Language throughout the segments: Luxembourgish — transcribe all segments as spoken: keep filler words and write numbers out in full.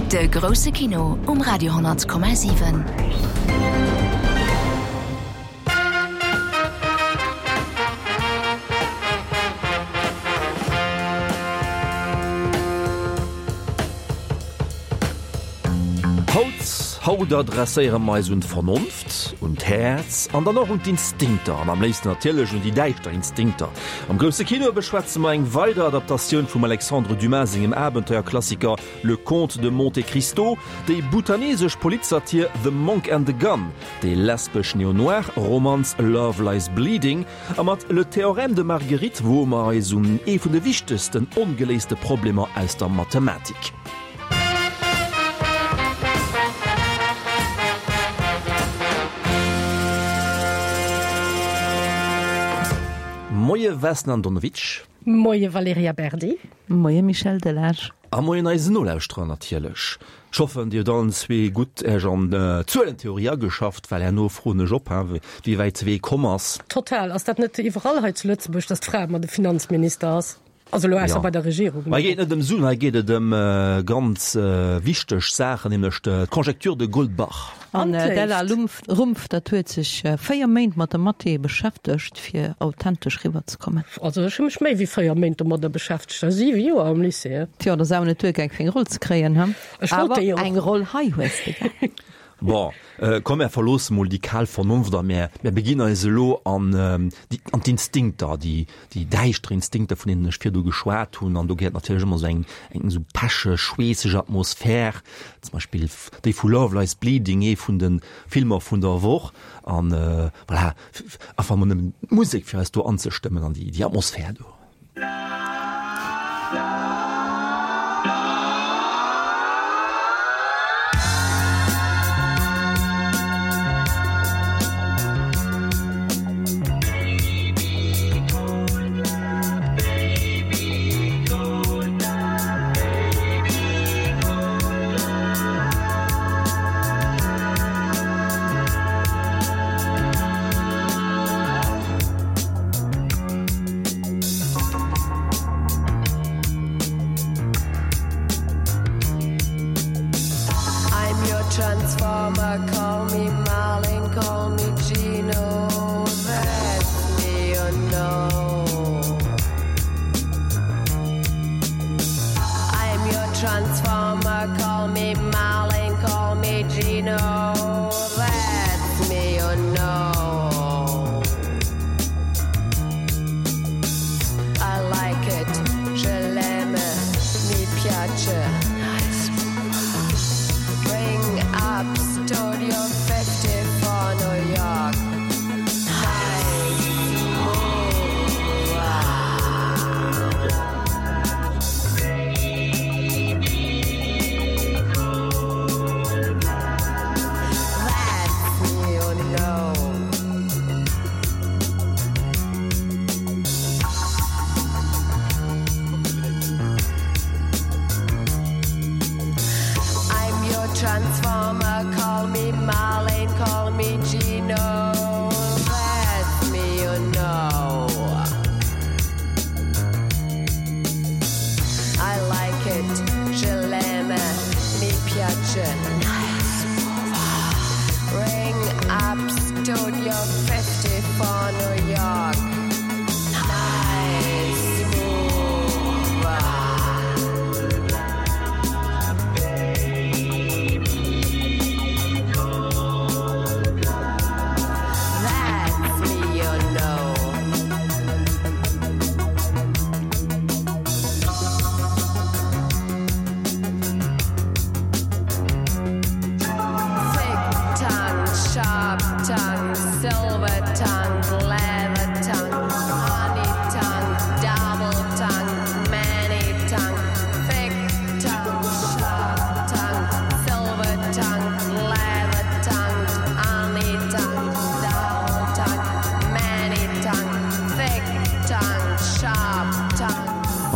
De grousse Kino um Radio honnert Komma siwen. Haut, haut adresséiere mer eis un d'Vernonft, un d'Häerz an dann och un d'Instinkter, an am léifsten natierlech un déi däischter Instinkter. Am grousse Kino beschwätze mer eng weider Adaptatioun vum Alexandre Dumas sengem Abenteuerklassiker Le Comte de Monte Cristo, déi bhutanesesch Politsatir The Monk and the Gun, déi lesbesch Neo-Noir-Romanz Love Lies Bleeding a mat Le Théorème de Marguerite woe mer eis un ee vun de wichtegsten ongeléiste Problemer aus der Mathematik. Moie Vesna Andonovic. Moie Valerija Berdi. Moie Michel Delage. A moien eisen Nolauschterer natierlech. Ech hoffen, Dir hutt allen zwee gutt Iech an d'Zuelentheorie ageschafft, well herno froen ech op, wéi wäit de Wee komm ass. Total. Ass dat net iwwerall hei zu Lëtzebuerg, dass d'Fra ëmmer de Finanzminister ass? Also elo ausser Ja. bei der Regierung. Hei geet et net ëm Suen, hei geet et ëm ganz wichteg Saachen, nämlech d'Conjecture de Goldbach. An An d'Ella d'Léift. Rumpf, dat huet sech véier Méint mat der Mathé beschäftegt, fir authentesch riwwerzekommen. Also ech hu mech méi wéi véier Méint domadder beschäftegt, a siwe Joer am Lycée. Tjo, dat ass awer net duergaang, fir eng Roll ze kréien, he? Ech wollt Awer déi och. eng Roll hei hues de gär. Bon, komm mär verloosse mol déi kal Vernonft a mär mär beginn eis elo an déi an d'Instinkter, déi déi däischter Instinkter, vun deenen ech virdu geschwat hunn. An do gehéiert natierlech ëmmer esou eng eng esou pecheg, schweesseg Atmosphär, zum Beispill déi vu Love Lies Bleeding, ee vun de Filmer vun der Woch. An voilà, einfach mol nëmmen d'Musek, fir eis do anzestëmmen an déi déi Atmosphär do.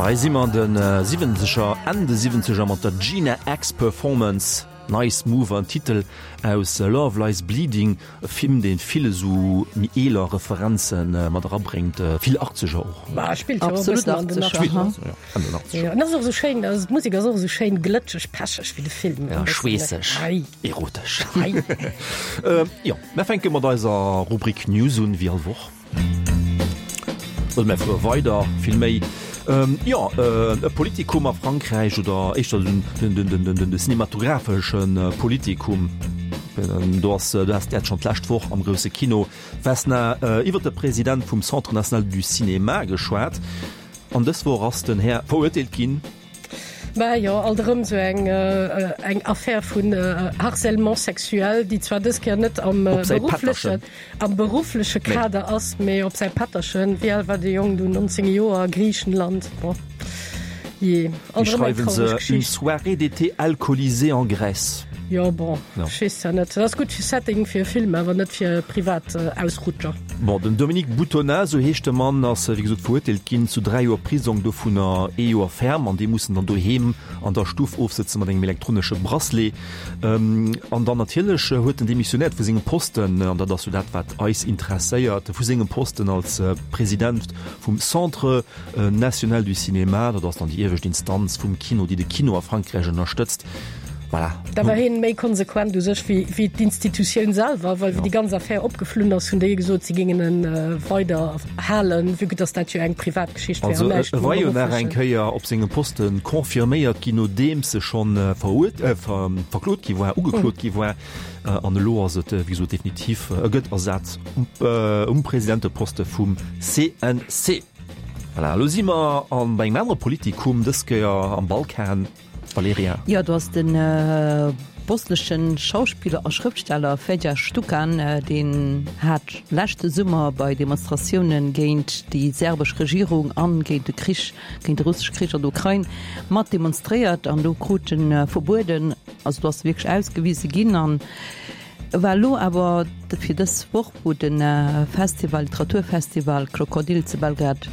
Hei si mer an de Siwwenzeger, Enn de Siwwenzeger mat der Gina X Performance. Nice Mover, en Titel aus Love Lies Bleeding, e Film, dee vill esou méi eeler Referenze mat erabréngt, vill Achtzeger och. Bah, spillt jo och e Absolut bëssen an den Achtzeger, Achtzeger. aha. Ja, an den Achtzeger. Jo, an ass och esou schéin, also d'Musek ass och esou schéin glëtscheg, pecheg wéi de Film. Ja, schweesseg, Ei. erotesch. Ei. Jo, mär fänke mat eiser Rubrik News un, wéi all Woch. Oder mär fuere weider, villméi. Jo, e Politikum a Frankräich, oder éischter den cinematografesche Politikum. Do ass, du has dat schonn d'lescht Woch am grousse Kino, Vesna, iwwer de President vum Centre national du cinéma geschwat. An dës Woch ass den Här verurteelt ginn. Mä jo, alt erëm esou eng eng Affär vun Harcèlement sexuel, déi zwar dës Kéier net am berufflechen am beruffleche Kader ass, mee op säi Pätterchen. Wéi al war dee Jong du? nonzéng Joer, Griichenland. Bon, jee, alt erëm eng traureg Geschicht. Une soirée d'été alcoolisée en Grèce. Jo, bon, ech weess ja net. Dat ass gutt fir Setting fir e Film, awer net fir privat Ausrutscher. Bon, den Dominique Boutonnat, esou heescht de Mann, ass wéi gesot verurteelt ginn zu dräi Joer Prisong, dovunner ee Joer ferme, an dee muss en dann doheem an der Stuff ofsëtze mat engem elektronesche Bracelet. An dann natierlech huet en demissionéiert vu sengem Posten, an dat ass jo dat, wat eis interesséiert, vu sengem Posten als President vum Centre national du cinéma, dat ass dann déi iewescht Instanz vum Kino, déi de Kino a Frankräich ënnerstëtzt. Voilà. Da war hien méi konsequent u sech wéi, wéi d'Institutioun selwer, well wéi déi ganz Affär opgeflunn ass, hunn déi gesot, si géingen en weider halen, vue que dass dat jo eng privat Geschicht wär Also an näischt e mam war jo nach eng berufflechen. Kéier op sengem Poste confirméiert ginn, nodeems e schonn verurte-, äh, ver-, verklot gi war, ugeklot gi war. An elo ass et, wéi gesot, definitiv, e gëtt ersat um, um Presidenteposte vum C N C. Voilà, elo si mer an, bei engem anere Politikum, dës Kéier am Balkan. Valerija. Jo, do ass de bosnesche Schauspiller a Schrëftsteller Fedja Stukan, deen hat leschte Summer bei Demonstratioune géint déi serbesch Regierung an géint de Krich, géint de russesche Krich an der Ukrain mat demonstréiert an do krut en verbueden, also do ass e wierklech ausgewise ginn an war elo awer fir dës Woch, wou de Festival, Literaturfestival Krokodil zu Belgrad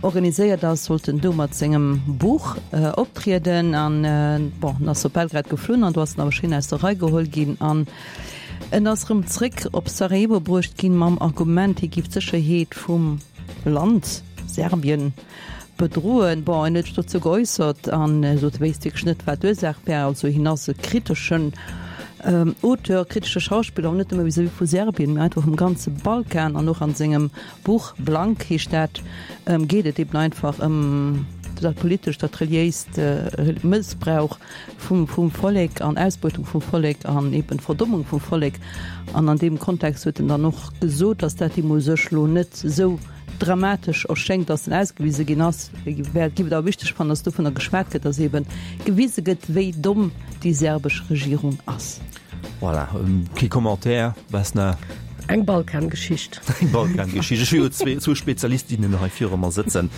organiséiert ass, sollt en do mat sengem Buch optrieden an bon, en ass op Belgrad geflunn an do ass en awer schéin aus der Rei geholl ginn an en ass erëm zréck op Sarajevo bruecht ginn mam Argument, hie giff d'Sécherheet vum Land Serbien bedroen. Bon, en huet sech dozou geäussert an sot, e wéisst wierklech net, wat d'Ursaach wär. Also hien ass e kriteschen Auteur, kritesche Schauspiller, net nëmme vis-à-vis vu Serbien, mee einfach vum ganze Balkan. An och an sengem Buch, Blank heescht dat, geet et eben einfach ëm dat politescht, dat reliéist Mëssbrauch vum vum Vollek an Ausbeutung vum Vollek an eben Verdommung vum Vollek. An an deem Kontext huet en dann och gesot, datt dat him u sech lo net esou dramatesch erschéngt, datt en ausgewise ginn ass, wär, giff et awer wichteg fannen, datt dovunner geschwat gëtt, datt eebe gewise gëtt, wéi domm déi serbesch Regierung ass. Voilà, kee Commentaire, Vesna? Eng Balkangeschicht. Eng Balkangeschicht. Ech hu jo zwee, zwou Spezialistinnen hei viru mer sëtzen.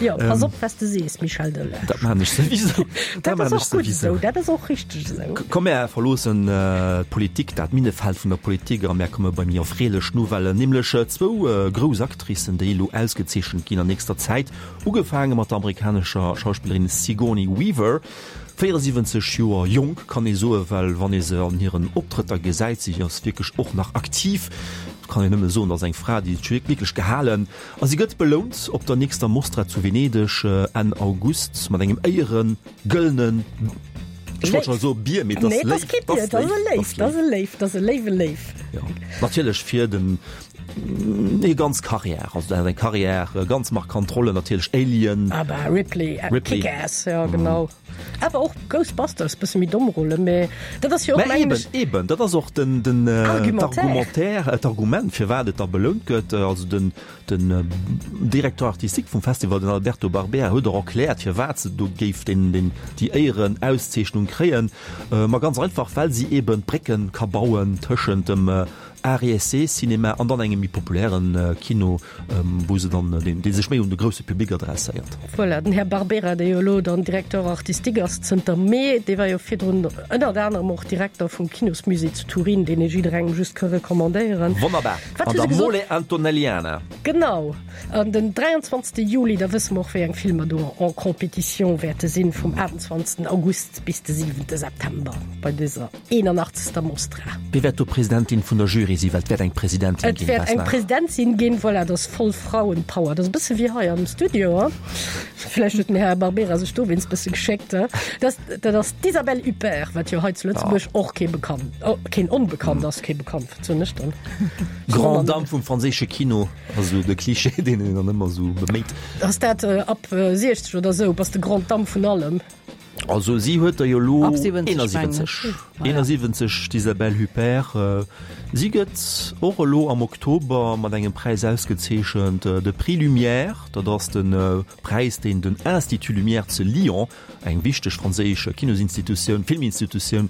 Jo, pass op, wat s de sees, Michel Delage. Dat maan ech souwisou. Dat ass och gutt esou, dat ass och richteg esou. Komm, mär verloossen d'Politik, dat Minnefeld vun der Politik a mär komme bei méi erfreelech Nouvellen, nämlech zwou grouss Actricen, déi elo ausgezeechent ginn an nächster Zäit, ugefaange mat der amerikanescher Schauspillerin Sigourney Weaver, véieresiwwenzeg Joer jonk, kann ee soen, well wann ee se an hiren Optrëtter gesäit, si ass wierklech och nach aktiv, kann een nëmme soen, dat ass eng Fra, déi huet wierklech gehalen. A si gëtt belount op der nächster Mostra zu Venedeg Enn August mat engem éiere gëllene, ech wollt scho soe Bier, mee et ass Nee, et ass kee Bier, et ass e Léif, et ass e Léif, et ass e léiwe Léif. Jo, natierlech fir den hir ganz Carrière, also dat ass eng Carrière, ganz markant Rollen natierlech, Alien, Ah bah, Ripley, Ripley. Kick-Ass, jo genau. Awer och Ghostbusters, bësse méi domm Rolle, mee dat ass jo och Mä mengen eben, ech. eben, dat ass och den, den Argumentaire. d'Argumentaire, d'Argument firwat et da belount gëtt. Also den, den Directeur artistique vum Festival, den Alberto Barbera, huet och erkläert firwat se do géif den, den, déi Éierenauszeechnung kréien. Ma ganz einfach, well si eben d'Brécken ka bauen tëschent dem Art et Essai Cinéma an dann engem méi populären Kino, wou se dann, deen, dee sech méi un de grousse Public adresséiert. Voilà, den Här Barbera, dee jo elo dann Directeur artistique ass zënter Mee, dee war jo virdrun ënnert anerem och Direkter vum Kinosmusée zu Turin, deen ee jidderengem just ka recommandéieren. Wonnerbar! Wat An hu se der gesot? Mole Antonelliana. Genau, an den dräianzwanzegste Juli, da wësse mer och, wéi eng Filmer do en compétition wäerte sinn, vum aachtundzwanzegsten August bis de siwente September bei dëser eenanachtzegster Mostra. Wie wäert do Presidentin vun der Jury sinn? Well et wäert eng Presidentin Et ginn, wäert eng Vesna. Presidentin ginn, voilà, dat ass voll Frauenpower. Dat ass e bësse wéi hei am Studio, hein? Vläicht huet den Här Barbera sech dowéinst e bësse geschéckt, hein? Dat, dat ass d'Isabelle Huppert, wat jo hei zu Lëtzebuerg och kee bekannt, oh, keen onbekannt ass, kee bekannt, wat soen ech dann? Grande Dame vum franséische Kino, ass esou de Klischee, deen een dann ëmmer esou beméit. Ass dat ab siechzeg oder esou, bass de Grande Dame vun allem? Also si huet der jo elo Ab siwwenzeg, mengen ech. eenasiwwenzeg, d'Isabelle Huppert. Si gëtt och elo am Oktober mat engem Präis ausgezeechent, de Prix Lumière. Dat ass de Präis, deen den Institut Lumière zu Lyon, eng wichteg franséisch Kinosinstitutioun, Filminstitutioun,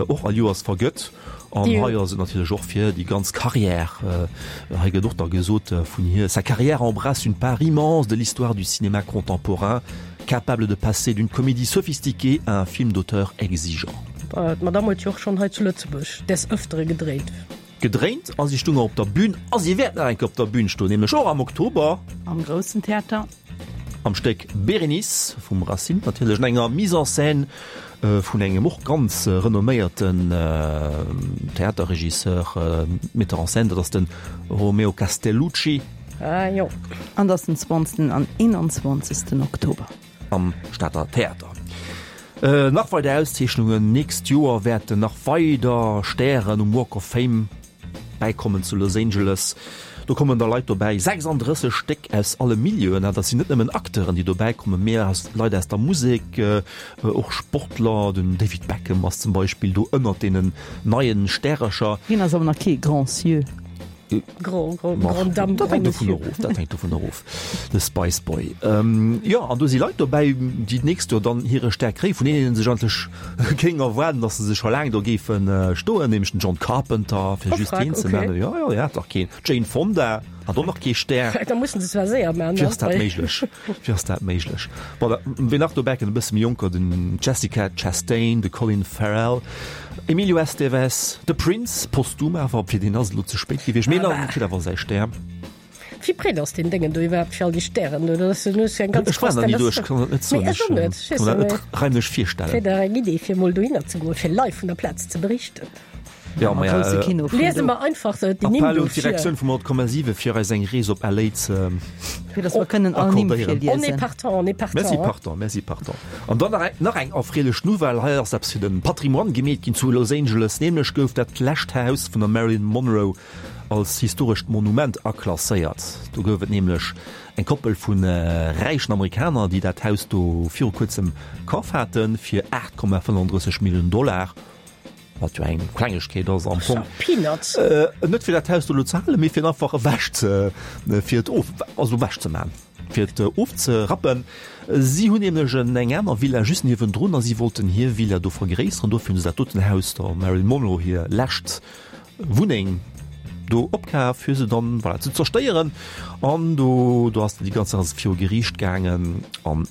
och all Joers vergëtt. An hei ass et natierlech och fir déi ganz Carrière. Hei gëtt och da gesot vun hir, Sa carrière embrasse une part immense de l'histoire du cinéma contemporain, capable de passer d'une comédie sophistiquée à un film d'auteur exigeant. D'Madame huet jo och schonn hei zu Lëtzebuerg des Ëftere gedréint. Gedréint a si stoung och op der Bühn a si wäert nach eng Kéier op der Bühn stoen, nämlech och am Oktober. Am Groussen Theater. Am Stéck Bérénice vum Racine natierlech, an enger Mise en scène vun engem och ganz renomméierten Theaterregisseur, Metteur en scène, dat ass de Romeo Castellucci. Ah jo. An dat ass den zwanzegsten an eenanzwanzegsten Oktober. Am Stater Theater. Nach weider Auszeechnungen, Nächst Joer wäerten nach weider Stären um Walk of Fame bäikommen zu Los Angeles. Do kommen da Leit dobäi, sechsanddrësseg Stéck aus alle Milieuen. Dat sinn net nëmmen Acteuren, déi dobäi kommen, mee aus Leit aus der Musek, och Sportler. Den David Beckham ass zum Beispill do ënnert deenen neien Stärercher. Hien ass awer nach kee Grand Sieur. Grand, grand, grande dame, Dat grand hänkt dovun monsieur. erof, dat hänkt dovun erof, de Spice Boy. Jo, an do si Leit dobäi, déi d'nächst Joer dann hire Stär kréien, vun deenen ee sech eigentlech géing erwaarden, datt se se scho laang do géife stoen, nämlech den John Carpenter, fir Oh, just frag, hien ze okay. nennen. Jo, jo, hie hat dach keen. D'Jane Fonda hat och nach kee Stär. Da mussen se zwar séier man, Wéi ass dat ne? méiglech? Wéi ass dat méiglech? Bon, da, wien nach dobäi kënnt, e bësse méi jonker, den Jessica Chastain, de Colin Farrell, Emilio Estevez, de Prince, posthum awer, fir deen ass et elo ze spéit gewiescht, mee en kritt awer säi Stär. Wéi breet ass deen Déngen do iwwerhaapt fir all déi Stären do? Dat ass jo eng ganz Ech war nach ni do, ech kann dat net soen. Mee ech och net, Ech kann dat net raimlech virstellen. Wier dach eng Idee fir emol dohinner ze goen, fir live vun der Plaz ze berichten. Ja, ma Grousse Kino vun Liese do. mer einfach déi Nimm Appell do un vir. d'Direktioun vum honnert Komma siwe fir eis eng Rees op L A ze Fir dass mer kënnen all Nimm accordéieren. On est virliesen. partant, on est partant. Merci partant, merci partant. An dann nach eng, nach eng erfreelech Nouvelle, hei ass eppes fir de Patrimoine gemeet ginn zu Los Angeles, nämlech gouf dat lescht Haus vun der Marilyn Monroe als historescht Monument aklasséiert. Do gouf et nämlech eng Koppel vu räichen Amerikaner, déi dat Haus do viru kuerzem kaf haten fir aacht Komma fënnefandrësseg Milliounen Dollar. Wat jo eng Klengegkeet ass am Fong. Peanuts. Net fir dat Haus do elo ze halen, mee fir et einfach ewech ze, fir et of, also ewech ze man, fir et ofzerappen. Si hunn nämlech eng aner Villa just niewendrun a si wollten hir Villa do vergréisseren. Dofir hunn se dat doten Haus, der Marilyn Monroe hir lescht Wunneng, do opkaf, fir se dann, voilà, ze zerstéieren. An do, do ass déi ganz Saach viru Geriicht gaangen an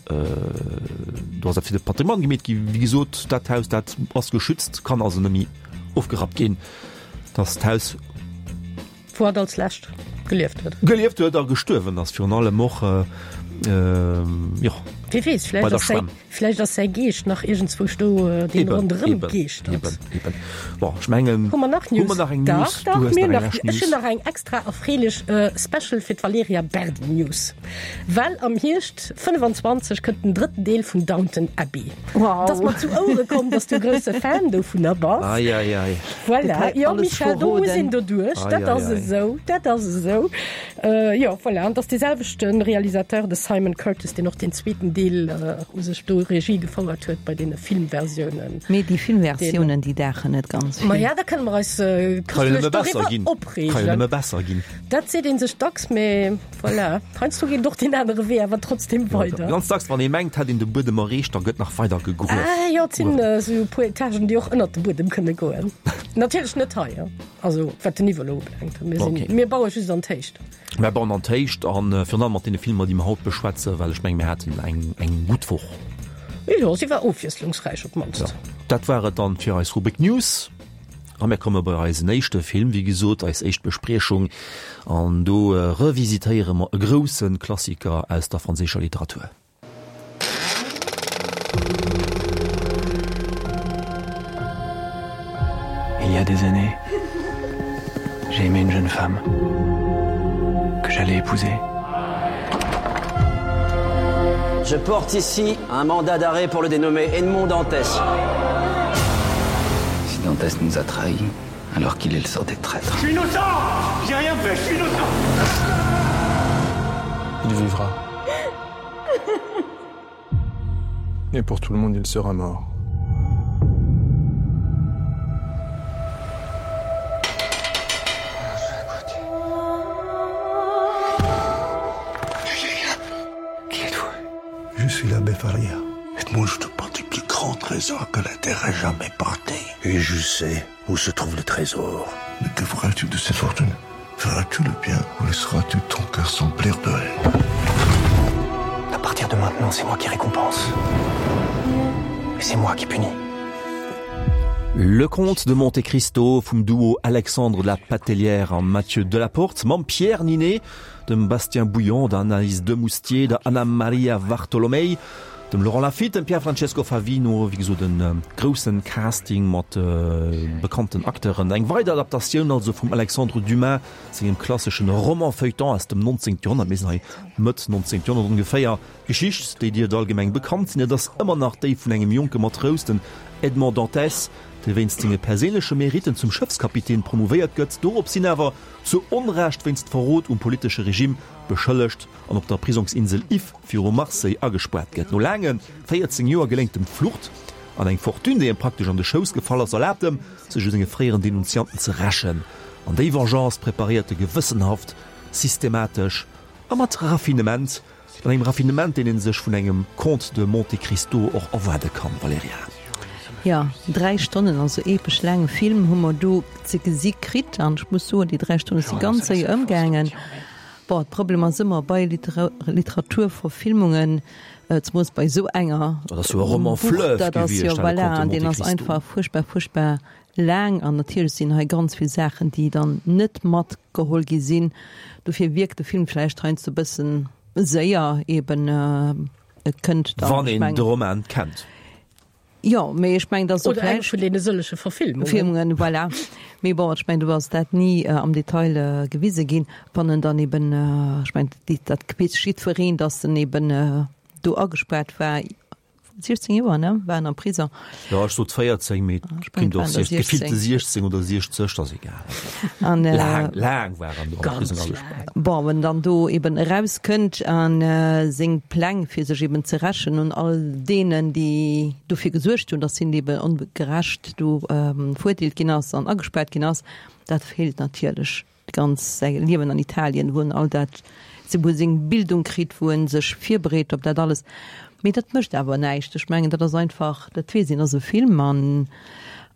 do ass dat fir de Patrimoine gemeet gi. Wéi gesot, dat Haus, dat ass geschützt, kann also net méi ofgerappt ginn. Dat ass d'Haus, Wou hatt als lescht gelieft huet. Gelieft huet a gestuerwen ass virun allem och, jo. Wie weess, Bei vläicht der ass säi, Schwämm. vläicht ass säi Geescht nach iergendzwousch do, deen Eben, ronderëm eben, geeschtert. eben, eben. Bon, ech mengen, Hu mer nach News? hu mer nach eng Dach, News? dach, Du hues mir nach eng nach, lescht ech hunn News. nach eng extra erfreelech Special fir d'Valerija Berdi News. Well am Hierscht fënnefenzwanzeg kënnt den drëtten Deel vun Downton Abbey. Wow. Et ass mer zu Ouere komm, dass du e grousse Fan dovunner bass. Ei, ei, ei. Voilà. Detail, Jo, alles Michèle, do muss verroden. een doduerch. Ei, Dat ei, ass ei. esou, dat ass esou. Jo, voilà. An et ass dee selwechte Realisateur, de Simon Curtis, deen och deen zweeten Deel u sech do Regie gefouert huet bei deene Filmversiounen. Mee déi Filmversiounen, déi daachen net ganz vill. Maja, da kënne mer eis köstlech doriwwer opreegen. Ka jo nëmme besser ginn. Dat seet ee sech dacks, mee voilà, heiansdo geet och deen anere Wee awer trotzdem weider. Ganz dacks, wann ee mengt, hätt een de Buedem erreecht, da gëtt nach weider gegruef. Ah jo, et sinn esou e puer Etagen, déi och ënnert de Buedem kënne goen. Natierlech net hei, also wat den Niveau elo ubelaangt. Mir sinn, mir baue just an d'Héicht. Mär bauen an d'Héicht an virun allem mat deene Filmer, déi mer haut beschwätzen, well ech menge mir haten eng eng gutt Woch. Jo, si war ofwiesslungsräich op d'mannst. Jo, dat war et dann fir eis Rubrik News. A mir komme bei eisen éischte Film, wéi gesot, eis éischt Bespriechung. An do revisitéiere mer e grousse Klassiker aus der franséischer Literatur. Il y a des années, j'ai aimé une jeune femme que j'allais épouser. Je porte ici un mandat d'arrêt pour le dénommer Edmond Dantès. Si Dantès nous a trahis, alors qu'il est le sort des traîtres. Je suis innocent J'ai rien fait, je suis innocent Il vivra. Et pour tout le monde, il sera mort. Qui êtes-vous Je suis l'abbé Faria. Moi, je te porte du plus grand trésor que la terre ait jamais porté. Et je sais où se trouve le trésor. Mais que feras-tu de cette fortune Feras-tu le bien ou laisseras-tu ton cœur s'emplir de haine À partir de maintenant, c'est moi qui récompense. Et c'est moi qui punis. Le Comte de Monte Cristo vum Duo Alexandre de la Patellière a Mathieu Delaporte mam Pierre Niney, dem Bastien Bouillon, der Anaïs Demoustier, der Anna Maria Vartolomei, dem Laurent Lafitte, dem Pierfrancesco Favino, wéi gesot e groussen Casting mat bekannten Acteuren. Eng weider Adaptatioun also vum Alexandre Dumas sengem klasseschen Roman-Feuilleton aus dem nonzéngte Joerhonnert, mir sinn hei Mëtt nonzéngt Joerhonnert ongeféier. D'Geschicht, déi dierft allgemeng bekannt sinn, et ass ëmmer nach déi vun engem jonke Matrous, den Edmond Dantès, dee wéinst senge perséinleche Meritten zum Schëffskapitän promouvéiert gëtt, dorops hin awer zu Onrecht wéinst Verrot um politesche Regime beschëllegt an op der Prisongsinsel If viru Marseille agespaart gëtt. No laange véierzéng Joer geléngt em d'Flucht an eng Fortune, déi em praktesch an de Schouss gefall ass, erlaabt em, sech u senge fréieren Denunzianten ze rächen. An déi Vengeance preparéiert e gewëssenhaft, systematesch a mat Raffinement. An engem Raffinement, deen ee sech vun engem Comte de Monte Cristo och erwaarde kann, Valerija. Jo, dräi Stonnen, also epesch laange Film hu mer do ze gesi kritt. An ech muss soen, déi dräi Stonne si ganz séier ëmgaangen. Bon, de Problem ass ëmmer bei Literaturverfilmungen, zemoos bei esou enger, Dat ass jo e Roman fleuve dat ass jo, gewiescht, de voilà, Comte de deen Monte ass Cristo. einfach fuerchtbar, fuerchtbar laang. An natierlech sinn hei ganz vill Saachen, déi dann net matgeholl gi sinn. Dofir wierkt de Film vläicht heiansdo e bëssen séier eben. Et kënnt dann, Wann ech een mengen. de Roman kennt. Jo, mee ech mengen, dass och Oder eng vläicht. vun deene sëllege Verfilmungen. Verfilmungen, voilà. Mee bon, ech mengen, do ass dat ni am Detail gewise ginn. Wann en dann eben, ech mengen, dat weess jiddwereen, dass en eben do agespaart war, siechzéng Joer, ne, war en am Prisong. Jo, ech sot véierzéng, mee Ech et mengen, kéint et och waren der gefillte siechzéng. siechzéng oder siechzeg, dat ass egal. An, Laang, laang war en do am Ganz Prisong laang. agespaart. Bon, wann en dann do eben erauskënnt a seng Pläng, fir sech eben ze rächen un all deenen, déi dofir gesuergt hunn, datt hien eben ongerecht do verurteelt ginn ass an agespaart ginn ass, dat feelt natierlech ganz säi Liewen an Italien, wou en all dat, wou e seng Bildung kritt, wou e sech virbereet op dat alles. Mee dat mécht awer näischt. Ech mengen, dat ass einfach, dat weess een, ass e Film an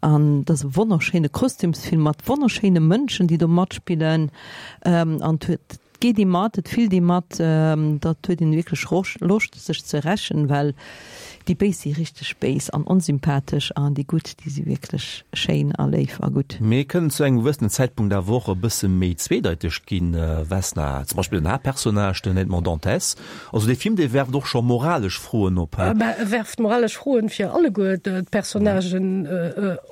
an dat ass e wonnerschéine Kostümsfilm mat wonnerschéine Mënschen, déi do matspillen. An et huet, et geet ee mat, et fillt ee mat, dat huet een wierklech Loscht, sech ze rächen, well Déi Béis si richteg béis an onsympathesch an déi Gutt, déi si wierklech schéin a léif a gutt. Mee kënnen zu engem gewëssenen Zäitpunkt awer och e bësse méi zweedeiteg ginn, Vesna. Zum Beispill den Haaptpersonnage, den Edmond Dantès. Also dee Film, dee werft och scho moralesch Froen op, he? Mä e werft moralesch Froen fir alleguer d'Personnagen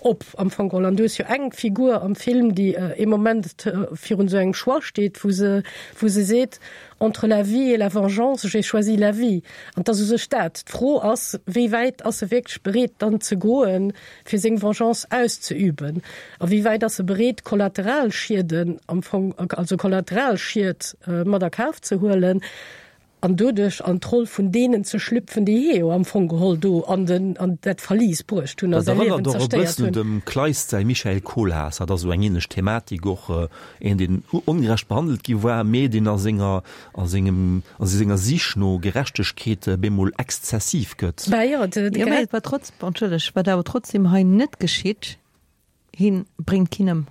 op am Fong geholl. An du hues jo eng Figur am Film, déi ee Moment virun esou engem Choix steet, wou se, wou se seet, Entre la vie et la vengeance, j'ai choisi la vie. An 't ass u sech dat. D'Fro ass, wéi wäit ass e wierklech bereet dann ze goen, fir seng Vengeance auszeüben? A wéi wäit ass e bereet, Kollateralschieden am Fong, also Kollateralschied mat a Kaf ze huelen? an doduerch an d'Roll vun deenen ze schlüpfen, déi hie jo am Fong geholl do an den, an dat Verlis bruecht hunn a Dat säi erënnert Liewen och e zerstéiert bëssen un hunn. dem Kleist säi Michael Kohlhaas. Dat ass esou eng ähnlech Thematik, och een, deen ongerecht behandelt gi war, mee deen a senger, a sengem, a senger Sich no Gerechtegkeet bemol exzessiv gëtt. Bah jo, de, de Jo, mä Gerech. et war trotz, entschëlleg, wat awer trotzdem hei net geschitt, hien bréngt keen ëm.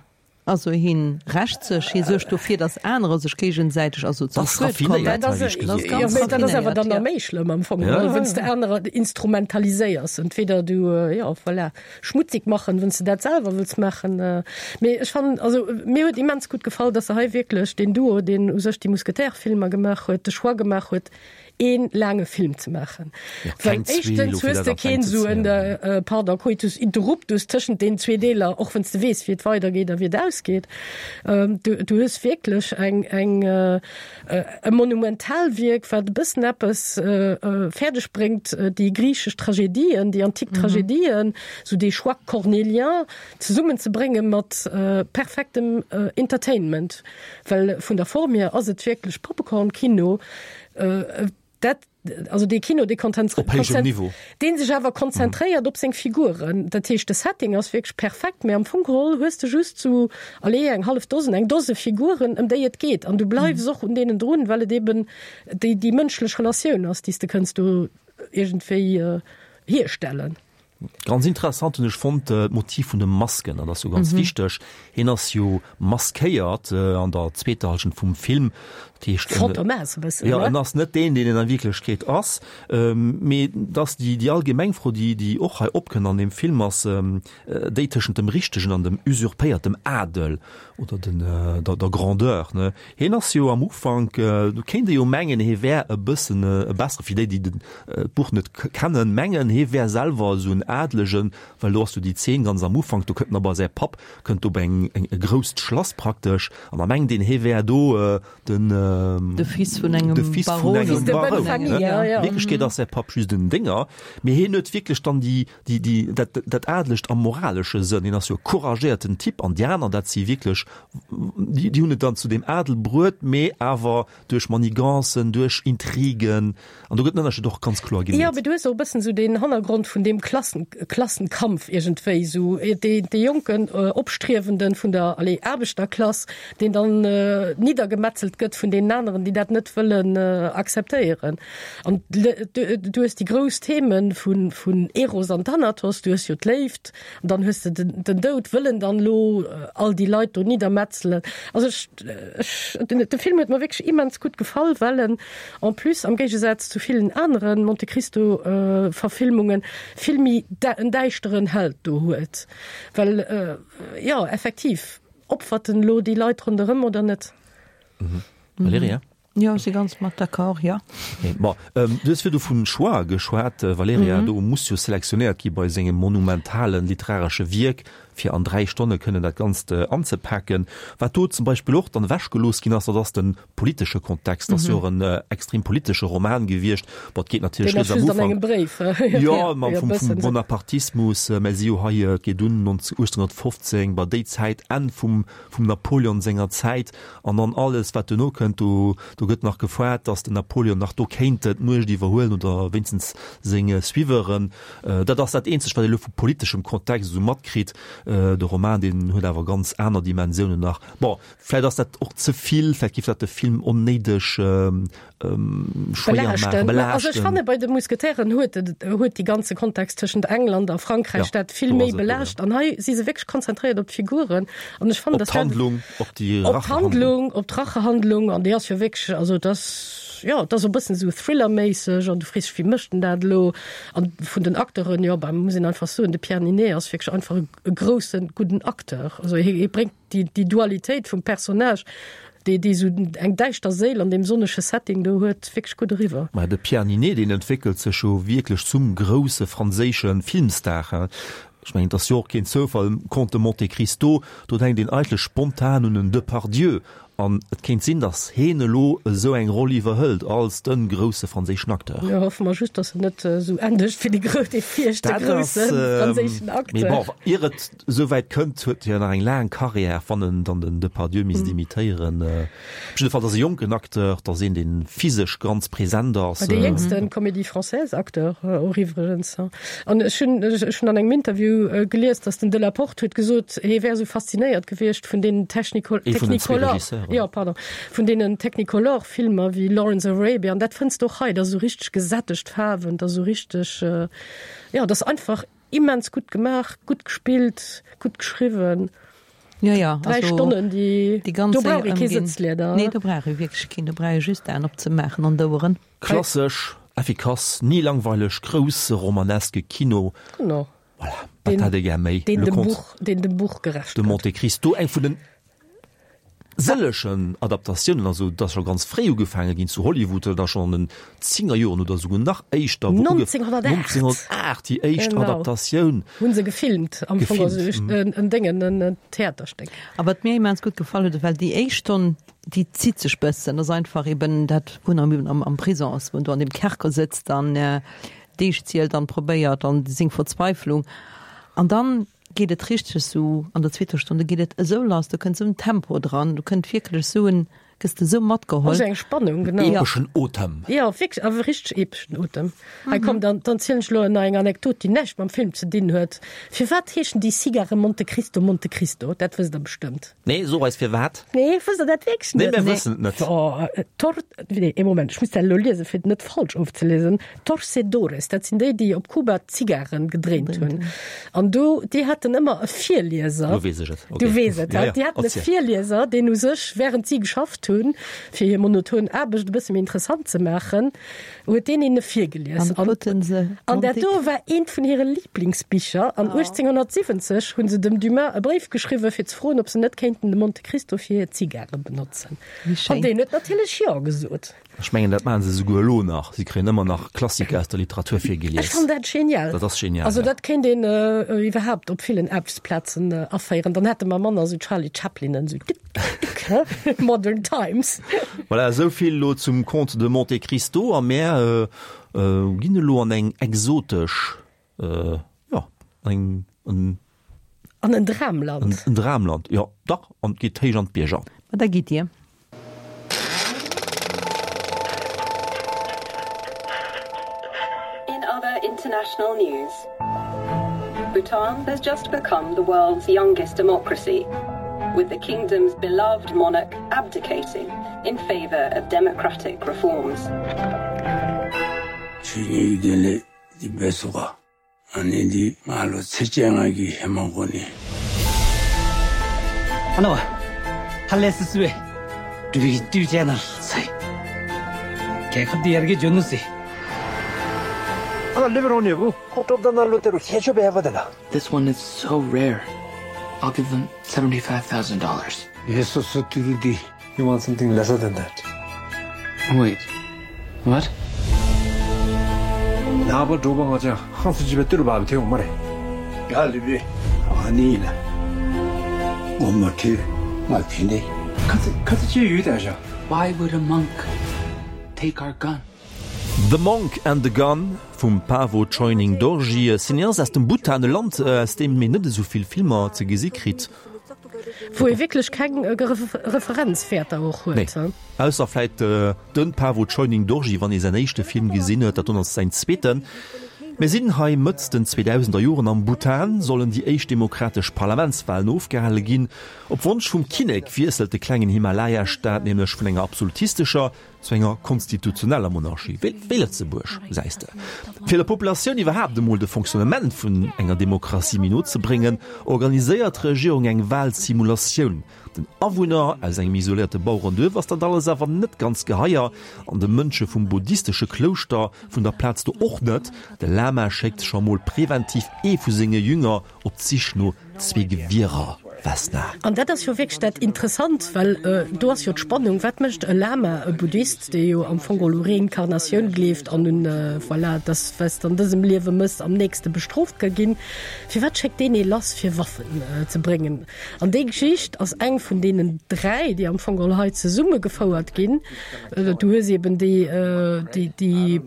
Also hien rächt sech, hie suergt dofir, datt anerer sech géigesäiteg also zum Das Schued kommen. raffinéiert, Dat ass, hei ech jo, gesot. ganz mee dat ass awer raffinéiert, dann nach ja. méi schlëmm am Fong Ja, geholl, ja, wann s de ja. anerer instrumentaliséiers. Entweder du, jo, voilà, schmutzig machen, wann s de dat selwer wëlls maachen. Mee ech fannen, also mir huet immens gutt gefall, datt se hei wierklech deen Duo, deen u sech déi Mousquetaire-Filmer gemaach huet, de Choix gemaach huet, een laange Film ze maachen. Ja, Well keng zwee, éischtens elo fir hues dat de an keen d'Längt ze esou en, zéien. äh, pardon, Coitus interruptus tëschent den zwee Deeler, och wann s de weess, wéi et weidergeet a wéi et ausgeet. Ähm, du, du hues wierklech eng, eng, äh, e Monumentalwierk, wat e bëssen eppes, äh, äh, fäerdeg bréngt, déi griichesch Tragedien, déi antik Tragedien, sou dee Choix cornélien zesummenzebrénge mat, äh, perfektem, äh, Entertainment. Well vun der Form hier ass et wierklech Popcorn-Kino, äh, dat, also dee Kino, dee Op héijem Niveau. deen sech awer konzentréiert op seng Figuren. Dat heescht, de Setting ass wierklech perfekt, mee am Fong geholl hues de just sou, allez, eng hallef Dosen, eng Dose Figuren, ëm déi et geet. An du bleifs och un deenen drun, well et eben déi, déi mënschlech Relatioun ass, déi s de kënns do iergendwéi hierstellen. Ganz interessant hunn ech fonnt d'Motiv vun de Masken, dat ass jo ganz wichteg. Hien ass jo maskéiert an der zweeter Hallschent vum Film, dat heescht en, Fantomas e bëssen, jo, ne? en ass net deen, deen en a Wierklechkeet ass. Mee dass déi, déi allgemeng Fro, déi, déi och hei opkënnt an deem Film, ass déi tëschent dem richtegen an dem usurpéiertem Adel oder den, der, der Grandeur, ne? Hien ass jo am Ufank, do kéint ee jo mengen, hie wär e bëssen e bessere, fir déi, déi den, d'Buch net kennen, mengen, hie wär selwer esou en Adelegen, well do ass jo déi Zeen ganz am Ufank, do kënnt en a bei säi Papp, kënnt do bei eng, eng, e grousst Schlass praktesch, an da mengt een, hie wär do den, De Fils vun engem de Fils vun Baron. engem Fils de bonne Baron, famille, ne? ja, ja. Wierklechkeet ass säi Papp just en Dénger, mee hien huet wierklech dann déi, déi, déi, dat, dat Adelegt am moralesche Sënn. Hien ass jo e couragéierten Typ, an déi aner, dat si wierklech, déi, déi hunn et dann zu deem Adel bruet, mee awer duerch Manigancen, duerch Intrigen, an do gëtt den Ënnerscheed och ganz kloer Jo, gemeet. mee du hues och e bëssen esou deen Hannergrond vun deem Klassen, Klassenkampf iergendwéi, esou dee, dee jonken Opstriewenden vun der, allez, Aarbechterklass, deen dann niddergemetzelt gëtt vun deenen aneren, déi dat net wëllen akzeptéieren. An du hues déi grouss Themen vun, vun Eros an Thanatos, du hues jo d'Léift, an dann hues de den, den Doud, wëllen dann elo all déi Leit do niddermetzelen. Also ech, ech, den, de Film huet mer wierklech immens gutt gefall, well en en plus am Géigesaz zu villen aneren Monte Cristo Verfilmungen vill méi en däischteren Held do huet. Well jo, effektiv, opfert en elo déi Leit ronderëm oder net? Valerija? Jo, ech si ganz mat d'accord, jo. Bon, du hues virdu vun Choix geschwat, Valerija. Do muss jo selektionéiert gi bei sengem monumentalen literaresche Wierk, fir an dräi Stonne kënnen dat Ganzt anzepaken. Wat do zum Beispill och dann ewechgelooss ginn ass, dat ass de politesche Kontext. Dat ass jo och en extrem politesche Roman gewiescht. Bon, et geet natierlech Deen ass rieds am just an Ufank. engem Bréif. Jo, ma Jo, vum, vum bëssen esou. Bonapartismus, mä si jo hei, et geet un achtzehnhunnertfofzéng, bei déi Zäit, Enn vum, vum Napoleon senger Zäit an dann alles, wat duerno kënnt. Do, do gëtt nach gefoart, datt den Napoleon nach do kéint d'Muecht iwwerhuelen oder wéinstens seng Suiveuren. Dat ass dat eenzegt, wat ee elo vu politeschem Kontext esou matkritt. De Roman, deen huet awer ganz aner Dimensiounen nach. Bon, vläicht ass dat och ze vill, vläicht géif dat de Film onnéideg schwéier maachen, Belaaschten. Also ech belaaschten. fanne bei de Mousquetairen huet huet déi ganze Kontext tëschent England a Frankräich Ja, dat vill do méi ass et do, ja. belaascht. An hei si se wierklech konzentréiert op d'Figuren. An ech fannen, Op dass dat d'Handlung, op déi op Rachehandlung. d'Handlung, op d'Rachehandlung, an déi ass jo wierklech, also dat ass, jo, dat ass e bëssen esou Thriller-méisseg an du frees dech, wéi mécht en dat elo? An vun den Acteuren, jo, bah, muss een einfach soen, de Pierre Niney ass wierklech einfach e e groussen, gudden Acteur. Also hie hie bréngt déi déi Dualitéit vum Personnage, déi déi esou eng däischter Séil an deem sonnege Setting do huet, wierklech gutt eriwwer. Mä de Pierre Niney, deen entwéckelt sech jo wierklech zum grousse franséische Filmstar, hein. Ech mengen, et ass jo och keen Zoufall, Comte de Monte Cristo, do denkt een eigentlech spontan un en Depardieu. An et kéint sinn, datt heen elo esou eng Roll iwwerhëlt als de grousse franséischen Acteur. Jo, hoffe mer just, datt en net esou endegt wéi de grou, dee viischte grousse franséischen Acteur. Mee bon, ier et esouwäit kënnt, huet hien nach eng laang Carrière, wann en dann den Depardieu misst imitéieren. Op jidde Fall, et ass e jonken Acteur, et ass een, dee physesch ganz present ass. Dee jéngste Comédie-Française-Acteur och iwwregens. An ech hunn, ech hunn an engem Interview gelies, datt den Delaporte huet gesot, hie wär esou faszinéiert gewiescht vun deenen Technicolor, Ee vun den zwee Regisseuren. Jo, pardon, vun deenen Technicolor-Filmer wéi Lawrence of Arabia, an dat fënns de och hei, dat ass esou richteg gesättegt Faarwen, dat ass esou richteg, jo, dat ass einfach immens gutt gemaach, gutt gespillt, gutt geschriwwen. Jo, jo, Dräi also Stonnen, déi, déi ganz do brauch Séier ee kee ëmginn. Sëtzlieder. Nee, do brauch ee wierklech keen, do brauch ee just d'Aen opzemaachen an d'Oueren. Klassesch, effikass, ni langweileg, grousse romaneske Kino. Genau. Voilà, wat hätt ee gär méi? Deen Le dem Comte Buch, deen dem Buch gerecht de gëtt. Monte Cristo, eng vun den sëllechen Adaptatiounen, also et ass scho ganz fréi ugefaange ginn zu Hollywood, da schonn an den Zéngerjoren oder souguer nach éischter, wou uge neunzehnhundertacht neunzehnhundertaacht déi éischt Genau. Adaptatioun Hunn se gefilmt am Fong, also gefilmt. en, en Déngen, en, en Theaterstéck. A wat mir immens gutt gefall huet, well déi éischt Stonn, déi zitt sech bëssen, ass einfach eben dat, wou en am, am Prison ass, wou en do an deem Kerker sëtzt an Deeg zielt an probéiert an seng Verzweiflung. An dann geet et richteg esou an der zweeter Stonn, do geet et esou lass, do kënnt esou en Tempo dran, do kënnt wierklech esou en, gëss de esou matgeholl. Also eng Spannung, genau. Epeschen Otem. Jo, wierklech, awer richteg epeschen Otem. Hei komm, dann, dann zielen ech elo nach eng Anekdot, déi näischt mam Film ze dinn huet. Firwat heeschen déi Cigare Monte Cristo Monte Cristo? Dat wësst der bestëmmt. Nee, so eis firwat. Nee, wësst der dat wierklech Nee, net? mir wëssen et net. Oh, Tor, nee, ee Moment, ech muss dat elo liesen, fir et net falsch ofzelesen. Torcedores, dat sinn déi, déi op Kuba d'Zigaren gedréint hunn. An do, déi haten ëmmer e Virlieser. Lo weess ech et. Du Okay. weess et, Ja, ja, déi haten e erziel. Virlieser, deen u sech, während si geschafft hunn, fir hir monoton Aarbecht e bësse méi interessant ze maachen, huet deen hinne virgelies. An kruten se An dat Monte do war eent vun hire Lieblingsbicher. An achtzénghonnertsiwwenzeg hunn se dem Dumas e Bréif geschriwwen, fir ze froen, ob se net kéinten de Monte Cristo fir hir Zigare benotzen. Wéi schéin. An deen huet natierlech jo gesot. Ech mengen, dat maache se souguer elo nach. Si kréien ëmmer nach Klassiker aus der Literatur Ech virgelies. fannen dat genial. Dat ass genial, Also ja. dat kéint een iwwerhaapt op villen Aarbechtsplazen aféieren. Dann hätte mer manner esou Charlie Chaplinen, esou dik, dik, dik, Modern Times. Voilà, esou vill elo zum Comte de Monte Cristo. A mär ginn elo an eng exotesch, jo, eng, en. An en Dramland. En Dramland, jo, dach, an et geet héich an d'Bierger. Ma da gitt Dir. In other international news, Bhutan has just become the world's youngest democracy, with the kingdom's beloved monarch abdicating in favor of democratic reforms. This one is so rare. I'll give them seventy five thousand dollars. You want something lesser than that. Wait. What? Why would a monk take our gun? The Monk and the Gun vum Pawo Choyning Dorji, e Cineast aus dem Bhutan, e Land, aus deem een net esou vill Filmer ze gesi kritt. Wou ee wierklech keng Referenzwäerter och huet. Nee, ausser vläit de Pawo Choyning Dorji, wann ee säin éischte Film gesinn huet, dat do ass säin zweeten. Mir sinn hei Mëtt den zweedausender Joren. Am Bhutan sollen déi éischt demokratesch Parlamentswalen ofgehale ginn. Op Wonsch vum Kinnek wiesselt de klengen Himalaya-Staat nämlech vun enger absolutistescher zu enger konstitutioneller Monarchie, wéi wéi Lëtzebuerg, gesäis de. Fir der Populatioun iwwerhaapt emol de Fonctionnement vun enger Demokratie méi no ze bréngen, organiséiert d'Regierung eng Walsimulatioun. Den Awunner aus engem isoléierte Bauerenduerf ass dat alles awer net ganz geheier, an de Mönche vum buddhistesche Klouschter vun der Plaz do och net. De Lama schéckt scho mol preventiv ee vu senge Jünger op d'Sich no zwee Gewierer. Vesna. An dat ass jo wierklech dat Interessant, well do ass jo d'Spannung, wat mécht e Lama, e Buddhist, dee jo am Fong geholl u Reinkarnatioun gleeft an un, voilà, dass wat s de an dësem Liewe mëss, am nächste bestrooft ka ginn, firwat schéckt deen ee lass fir Waffen ze bréngen? An déi Geschicht ass eng vun deenen dräi, déi am Fong geholl hei zesummegefouert ginn. Du hues eben déi, déi, déi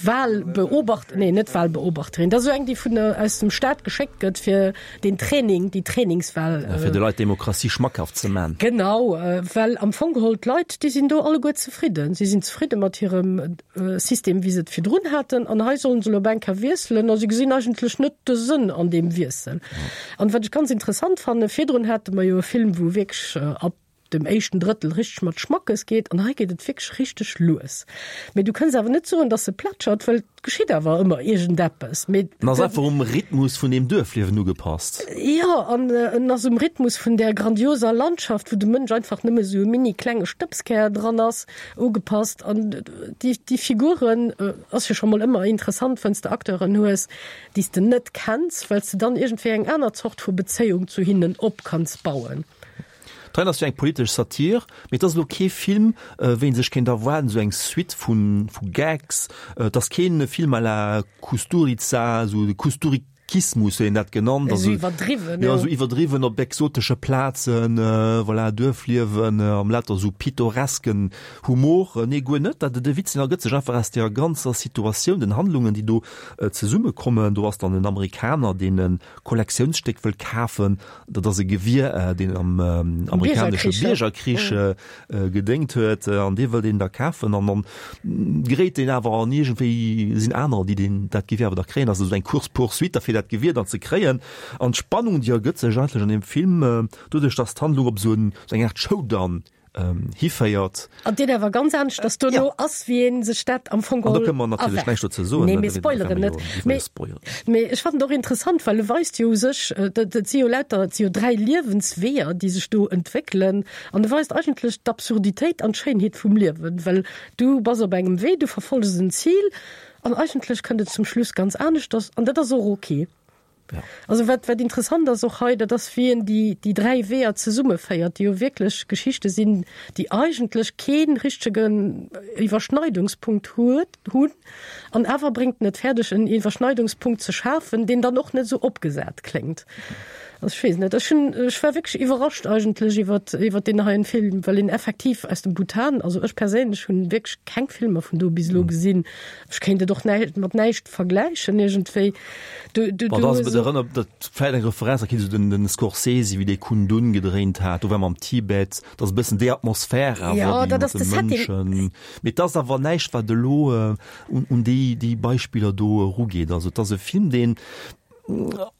Wahlbeobacht, nee net Wahlbeobachterin, dat ass esou eng, déi vun aus dem Staat geschéckt gëtt fir den Training, déi Trainingswahl. Ja, fir de Leit d'Demokratie schmackhaft ze man. Genau, well am Fong geholl d'Leit, déi sinn do alleguer zefridden. Si sinn zefridde mat hirem System, wéi se et virdrun haten, an hei sollen se elo op eng Kéier wiesselen a si gesinn eigentlech net de Sënn an deem Wiessel. An wat ech ganz interessant fannen, virdrun hate mer jo e Film, wou wierklech ab dem éischten Drëttel richteg mat Schmackes geet an hei geet et wierklech richteg lues. Mee du kënns awer net soen, dass se plätschert, well et geschitt awer ëmmer iergendeppes. Mee En ass einfach um Rhythmus vun deem Duerfliewen ugepasst. Jo, an en ass um Rhythmus vun där grandioser Landschaft, wou de Mënsch einfach nëmme sou e mini klenge Stëbskär dran ass, ugepasst. An déi, déi Figuren, ass jo scho mol ëmmer interessant, wann s de Acteuren hues, déi s de net kenns, well s de dann iergendwéi eng aner Zort vu Bezéiung zu hinnen op kanns bauen. D'Rein ass jo eng politesch Satir, mee et ass elo kee Film, wéi een sech kéint erwaarden, esou eng Suite vu Gags. Et ass kee Film à la Kusturica, esou de Kusturikismus huet een dat genannt, also esou iwwerdriwwen, jo, esou iwwerdriwwen op exotesche Plazen, voilà, Duerfliewen am lauter esou pittoresken Humor. Nee, guer net. Dat, de Witz, deen ergëtt sech einfach aus deer ganzer Situatioun, den Handlungen, déi do zesummekommen. Do ass dann en Amerikaner, deen e Kollektiounsstéck wëll kafen. Dat ass e Gewier, deen am amerikanesche Biergerkrich gedéngt huet, an dee wëllt een da kafen. An dann geréit deen awer an iergendwéi sinn anerer, déi deen dat Gewier awer da kréien. Also esou eng Course-poursuite da fir dat Gewier dann ze kréien. An d'Spannung, déi ergëtt sech eigentlech an deem Film, doduerch datt d'Handlung op esou en, esou eng Aart Showdown hiféiert. An deen awer ganz aneschters dono ass, wéi ee sech dat am Fong geholl erwaart. An do kënne mer natierlech näischt dozou soen. Nee, mir spoileren net. Mee ech fannen et och interessant, well e weist jo u sech, dat si jo lauter, et si jo dräi Liewensweeër, déi sech do entwéckelen. An e weist eigentlech d'Absurditéit an d'Schéinheet vum Liewen, well du bass op engem Wee, du verfolles en Zil an eigentlech kënnt et zum Schluss ganz aneschters an dat ass och ok. Ja. Also wat, wat interessant ass och hei, dat ass wéi en déi, déi dräi Weeër zesummeféiert, déi jo wierklech Geschichte sinn, déi eigentlech kee richtegen Iwwerschneidungspunkt huet, hunn. An awer bréngt en et fäerdeg, en Iwwerschneidungspunkt ze schafen, deen dann och net esou opgesat kléngt. Also ech weess net, ech hunn, ech war wierklech iwwerrascht eigentlech iwwert, iwwert deen heien Film, well een effektiv aus dem Bhutan, also ech perséinlech hunn wierklech keng Filmer vun do bis elo gesinn. Ech kéint et och näi, mat näischt vergläichen iergendwéi. Du, du, du hues. Erënnert dat vläit eng Referenz, da kinnt den, den Scorsese, wéi dee Kundun gedréint hat, do war mer am Tibet, dat ass e bëssen déi Atmosphär awer, ja, déi mat de Mënschen. Mee et ass awer näischt, wat elo un, un déi, déi Beispiller do erugeet. Also et ass e Film, deen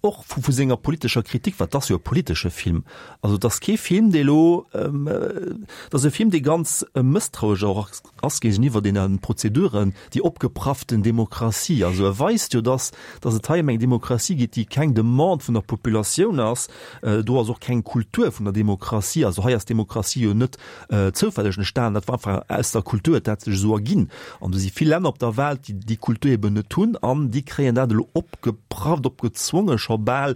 och vu, vu senger politescher Kritik, wat ass jo e politesche Film, also et ass kee Film, dee elo, et ass e Film, dee ganz mësstrauesch och ass géigeniwwer deene Prozeduren, déi opgeprafften Demokratie. Also e weist jo, dass, dass et hei ëm eng Demokratie geet, déi keng Demande vun der Populatioun ass. Do ass och keng Kultur vun der Demokratie. Also hei ass d'Demokratie jo net zoufälleg entstanen, dat war einfach aus der Kultur huet dat sech esou erginn. An do si vill Länner op der Welt, déi déi Kultur eben net hunn an déi kréien dat elo opgeprafft, opgezwonge scho bal.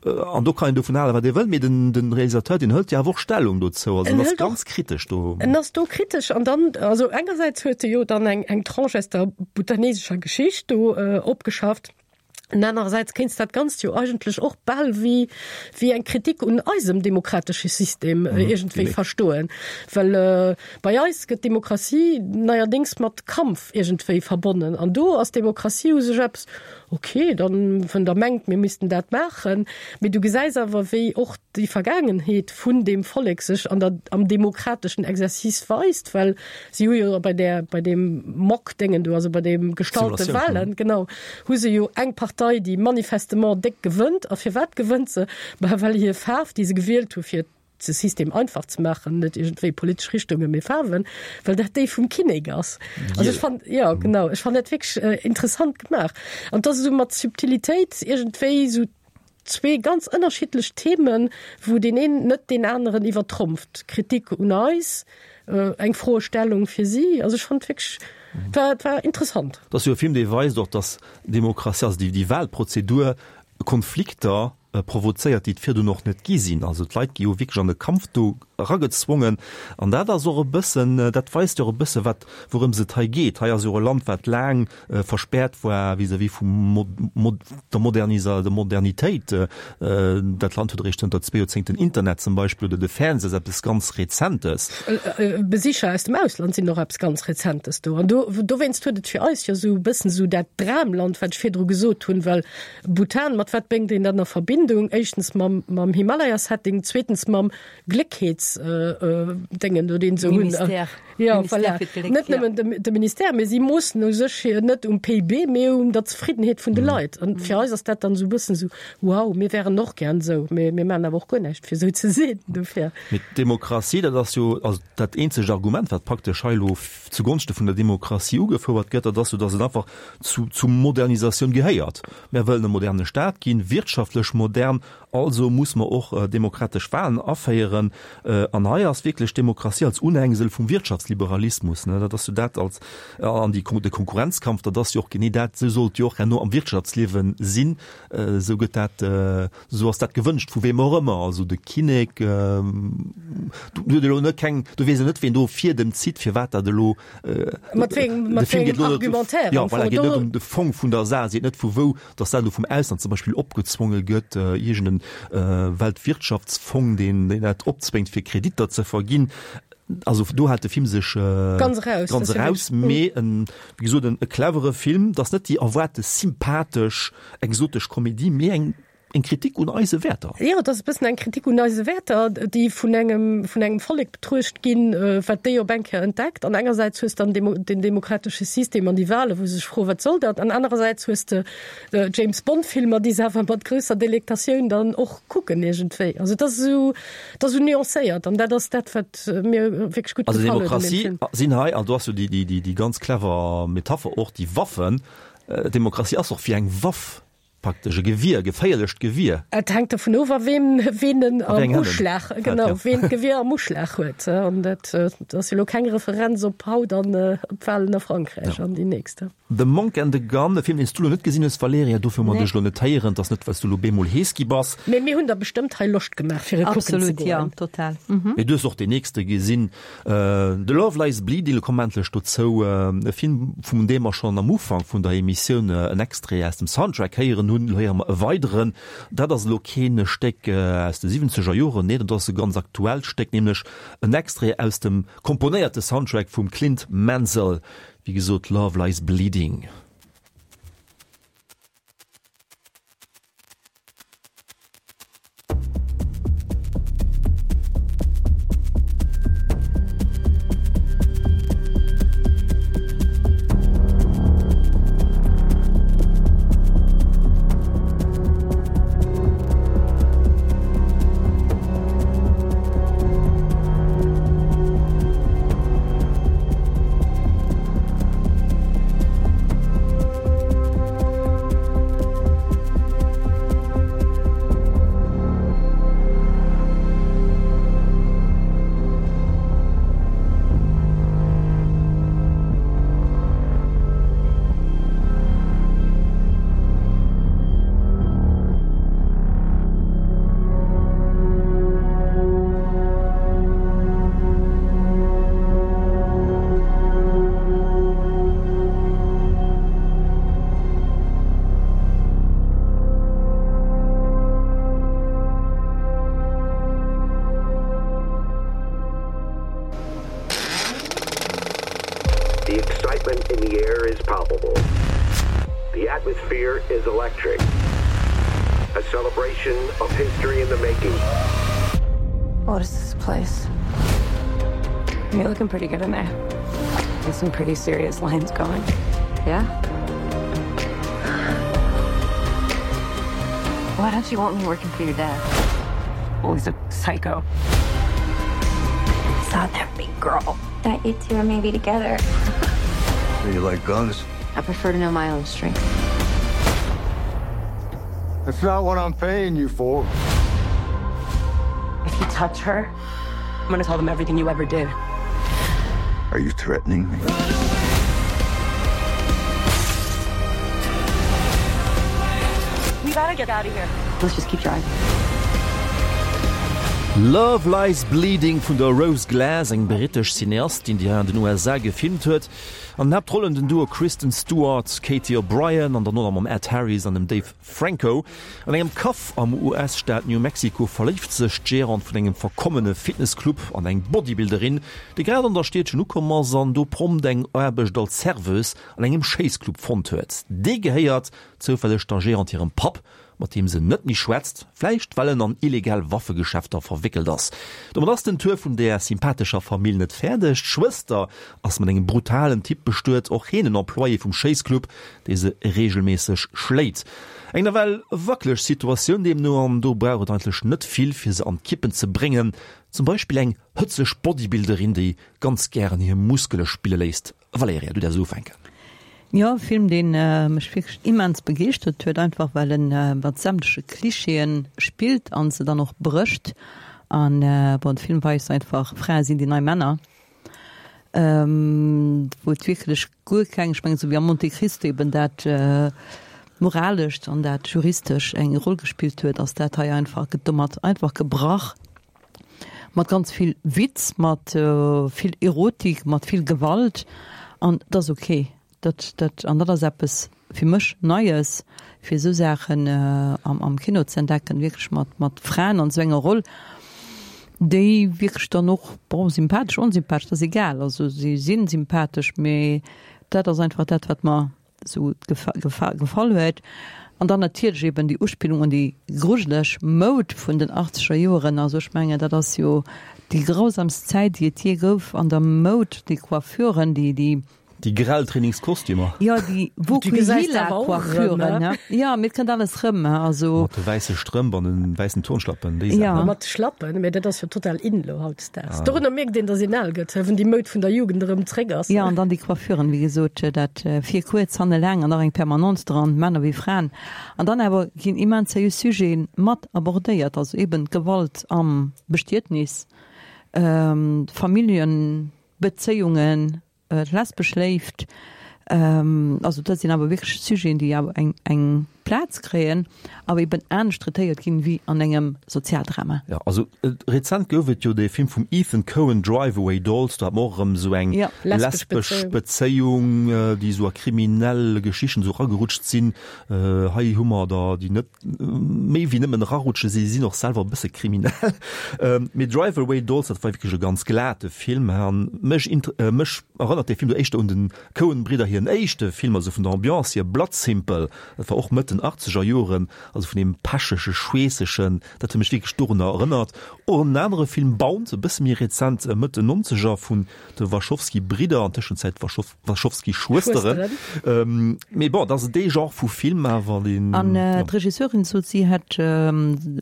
An do kann een dovun halen, wat ee wëll, mee den, den Realisateur, deen hëlt jo awer och Stellung dozou. Also en ass ganz kritesch do. En ass do kritesch an dann, also engersäits huet e jo dann eng, eng Tranche aus der bhutanesescher Geschicht do opgeschafft. An anerersäits kéints dat Ganzt jo eigentlech och bal wéi, wéi eng Kritik un eisem demokratesche System iergendwéi verstoen. Well bei eis gëtt Demokratie neierdéngs mat Kampf iergendwéi verbonnen. An do ass Demokratie u sech eppes, ok, dann, wann Der mengt, mir missten dat maachen. Mee du gesäis awer, wéi och déi Vergaangenheet vun deem Vollek sech an der, am demokrateschen Exercice weist, well si hu jo bei där, bei deem Mock-Déngen do, also bei deem gestallte Wahlen, genau, hu se jo eng Partei, déi manifestement déck gewënnt. A firwat gewënnt se? Bah, well hir Faarf, déi se gewielt hu fir de System einfach ze maachen, net iergendwéi politesch Richtungen, mee Faarwen, well dat déi vum Kinnek ass. Also ech fand, jo genau, ech fand dat wierklech interessant gemaach. An et ass esou mat Subtilitéit iergendwéi esou zwee ganz ënnerschiddlech Themen, wou deen een net deen aneren iwwertrompft. Kritik un eis, eng Froestellung fir si. Also ech fand wierklech, et war, et war interessant. Et ass jo e Film, dee weist och, datt Demokratie, also déi, déi Wahlprozedur Konflikter provozéiert, déi et virdrun och net gi sinn. Also d'Leit gi jo wierklech an e Kampf do eragezwongen. An dat ass och e bëssen, dat weist jo och e bësse wat, wourëms et hei geet. Hei ass jo e Land, wat laang verspäert war vis-à-vis vum der Modernisa-, der Modernitéit. Dat Land huet eréischt zënter zwee Joerzéngten Internet zum Beispill oder de Fernseh ass eppes ganz Rezentes. Besicher aus dem Ausland sinn och eppes ganz Rezentes do. An do, dowéinst huet et fir eis jo esou e bëssen esou dat Dramland, wat ech virdru gesot hunn, well Bhutan, mat wat bréngt een dat a Verbindung? Éischtens mam, mam Himalaya-Setting, zweetens mam Gléckheets-Déngen do, deen se hunn. Ministère. Ja, Ministère voilà. fir d'Gléck, Net ja. nëmmen de, de Ministère, mee si moossen u sech hier net um P I B, mee un der Zefriddenheet vun de Leit. An fir eis ass dat dann esou e bëssen esou, wow, mir wären och gären esou, mee mir maachen awer och guer näischt, fir esou ze sinn. Dofir. Mee d'Demokratie, dat ass jo also dat eenzegt Argument, wat praktesch hei elo zugonschte vun der Demokratie ugefouert gëtt, dat ass jo, datt et einfach zu, zu Modernisatioun gehéiert. Mär wëllen e moderne Staat ginn, wirtschaftlech modern, also muss mer och demokratesch Wahlen aféieren. An hei ass wierklech d'Demokratie als Unhängsel vum Wirtschaftsliberalismus, ne, dat ass jo dat als, an déi, de Konkurrenzkampf, dat ass jo och genee dat, esou sollt jo och herno am Wirtschaftsliewe sinn, esou gëtt dat, esou ass dat gewënscht, vu weem och ëmmer, also de Kinnek, do huet elo net keng, do weess een net, ween do Fiedem zitt, firwat dat elo, Mat wéi engem, mat wéi engem Argumentaire jo, am voilà, Fong. geet net ëm de Fong vun der Saach, seet net vu wou, datt dat elo vum Ausland zum Beispill opgezwonge gëtt, iergend en Weltwirtschaftsfong, deen, deen dat opzwéngt, fir Kreditter ze verginn. Also do hält de Film sech ganz eraus, ganz eraus, mee en, wéi gesot, en e clevere Film. Dat ass net déi erwaarte sympathesch, exotesch Komedie, mee eng eng Kritik un eise Wäerter. Jo, et ass e bëssen eng Kritik un eise Wäerter, déi vun engem, vun engem Vollek betruecht ginn, wat déi op eng Kéier entdeckt. An engersäits hues dann den demokratesche System an déi Wahlen, wou se sech froen, wat soll dat? An anerersäits hues de James Bond-Filmer, déi se awer mat grousser Delektatioun dann och kucken iergendwéi. Also et ass esou, et ass esou nuancéiert an dat ass dat, wat mir wierklech gutt Also gefall huet un deem Demokratie Film. sinn hei, an do ass jo déi, déi, déi ganz clever Metapher och, déi Waffen, Demokratie ass och wéi eng Waff. Praktesch e Gewier, e geféierlecht Gewier. Et hänkt dovun of, a wem, ween en A wéi am eng Hänn en Uschlag, fält, genau, ja. ween d'Gewier am Uschlag huet. An dat ass jo elo keng Referenz op haut an op d'Wahlen a Frankräich Ja. an déi nächst. The Monk and the Gun, e Film, deen s du elo net gesinn hues, Valerija, dofir hu mer Nee. dech elo net héieren. Et ass net, well s du elo bemol hees gi bass. Mee mir hunn der bestëmmt hei Loscht gemaach, fir e kucken ze Absolut, ja, goen. total. Mee du hues och deen nächste gesinn, The Love Lies Bleeding. Elo komme mer endlech dozou, e Film, vun deem mer schonn am Ufank vun der Emissioun en Extrait aus dem Soundtrack héieren hunn. Elo héiere mer e weideren. Dat ass elo keen Stéck aus de siwwenzeger Joren, nee, dat ass e ganz aktuellt Stéck, nämlech en Extrait aus dem komponéierte Soundtrack vum Clint Mansell, wéi gesot Love Lies Bleeding. The excitement in the air is palpable. The atmosphere is electric. A celebration of history in the making. What is this place? You're looking pretty good in there. There's some pretty serious lines going. Yeah? Why don't you want me working for your dad? Well, he's a psycho. Saw that big girl. That you two are maybe together. Do you like guns? I prefer to know my own strength. That's not what I'm paying you for. If you touch her, I'm gonna tell them everything you ever did. Are you threatening me? We gotta get out of here. Let's just keep driving. Love Lies Bleeding vun der Rose Glass, eng brittesch Cineastin, déi hei an den U S A gefilmt huet. An den Haaptrollen den Duo Kristen Stewart, Katy O'Brian an dann och nach mam Ed Harris an dem Dave Franco. An engem Kaff am U S-Staat New Mexico verléift sech d'Gérante vun engem verkommene Fitnessclub an eng Bodybuilderin, déi grad an der Stiedchen ukomm ass an do prompt eng Aarbecht als Serveuse an engem Schéissclub fonnt huet. Dee gehéiert zoufälleg der Gérante hirem Papp, mat deem se net méi schwätzt, vläicht well en an illegal Waffegeschäfter verwéckelt ass. Domat ass den Tour vun där sympathescher Famill net fäerdeg. D'Schwëster ass mat engem brutalen Typ bestuet, och heen en Employé vum Schéissclub, dee se reegelméisseg schléit. Eng nawell wackeleg Situatioun deemno, an do brauch et eigentlech net vill, fir se an d'Kippen ze bréngen. Zum Beispill eng hëtzeg Bodybuilderin, déi ganz gären hir Muskele spille léisst. Valerija, du däerfs ufänken. Jo, e Film, deen mech wierklech immens begeeschtert huet, einfach well en mat sämtleche Klischeeën spillt an se dann och brécht. An bon, de Film weist einfach, Frae sinn déi nei Männer, wou et wierklech guer keng, ech mengen esou wéi am Monte Cristo eben dat Moralescht an dat Juristesch eng Roll gespillt huet, ass dat hei einfach, gëtt domat einfach gebrach. Mat ganz vill Witz, mat vill Erotik, mat vill Gewalt an dat ass ok. Dat, dat, an dat ass eppes fir mech Neies, fir esou Saachen am, am Kino ze entdecken, wierklech mat, mat Fraen an esou enger Roll, déi wierklech dann och, bon, sympathesch, onsympathesch, dat ass egal, also si sinn sympathesch, mee dat ass einfach dat, wat mer esou gefa-, gefa-, gefall huet. An dann natierlech eben déi Uspillung un déi grujeleg Moud vun den achtzeger Joeren, also ech mengen, dat ass jo déi grausamst Zäit, déi et jee gouf an der Moud, déi Coiffuren, déi, déi Déi grell Trainingskostümer. Jo, déi Du gesäis dat awer och erëm, Vokuhila-Coiffuren, ne? ne? Jo, mir kënnt alles rëm, he, also. Mat de wäisse Strëmp an de wäissen Turnschlappen, déi Ja. Saachen. Mat de Schlappen, mä dat ass jo total in elo hautdesdaags. Ah. Dorunner mierkt een, dass een al gëtt, he, wann déi Moud vun der Jugend erëm zréck ass. Jo, an dann déi Coiffuren, wéi gesot, dat vir kuerz, hanne laang an nach eng Permanence dran, Männer wéi Fraen. An dann awer ginn immens seriös Sujeten mat abordéiert, also eben d'Gewalt am Bestietnis, Familljenbezéiungen, d'lesbesch Léift, also dat sinn awer wierklech Sujeten, déi awer eng eng Plaz kréien, awer eben anescht traitéiert ginn wéi an engem Sozialdrama. Jo, also rezent gouf et jo dee Film vum Ethan Coen, Drive Away Dolls, do hat mer och erëm esou eng lesbesch Bezéiung, déi esou a kriminell Geschichten esou eragerutscht sinn. Hei hu mer der, déi net méi wéi nëmmen erarutsche, si sinn och selwer e bësse kriminell. Mee Drive Away Dolls, dat war wierklech e ganz glate Film an mech mech erënnert dee Film do éischter un den Coen-Bridder hiren éischte Film, also vun der Ambiance hier, Blood Simple, dat war och Mëtt den achtzeger Joren, also vun deem pechege, schweessegen, dat huet mech wierklech dorunner erënnert. Och en anere Film, Bound, e bësse méi rezent, Mëtt den nonzeger, vun de Wachowski-Bridder, an Tëschenzäit Wachowski-Schwësteren. Mee bon, dat ass dee Genre vu Film awer, deen. An d'Regisseurin sot, si hätt,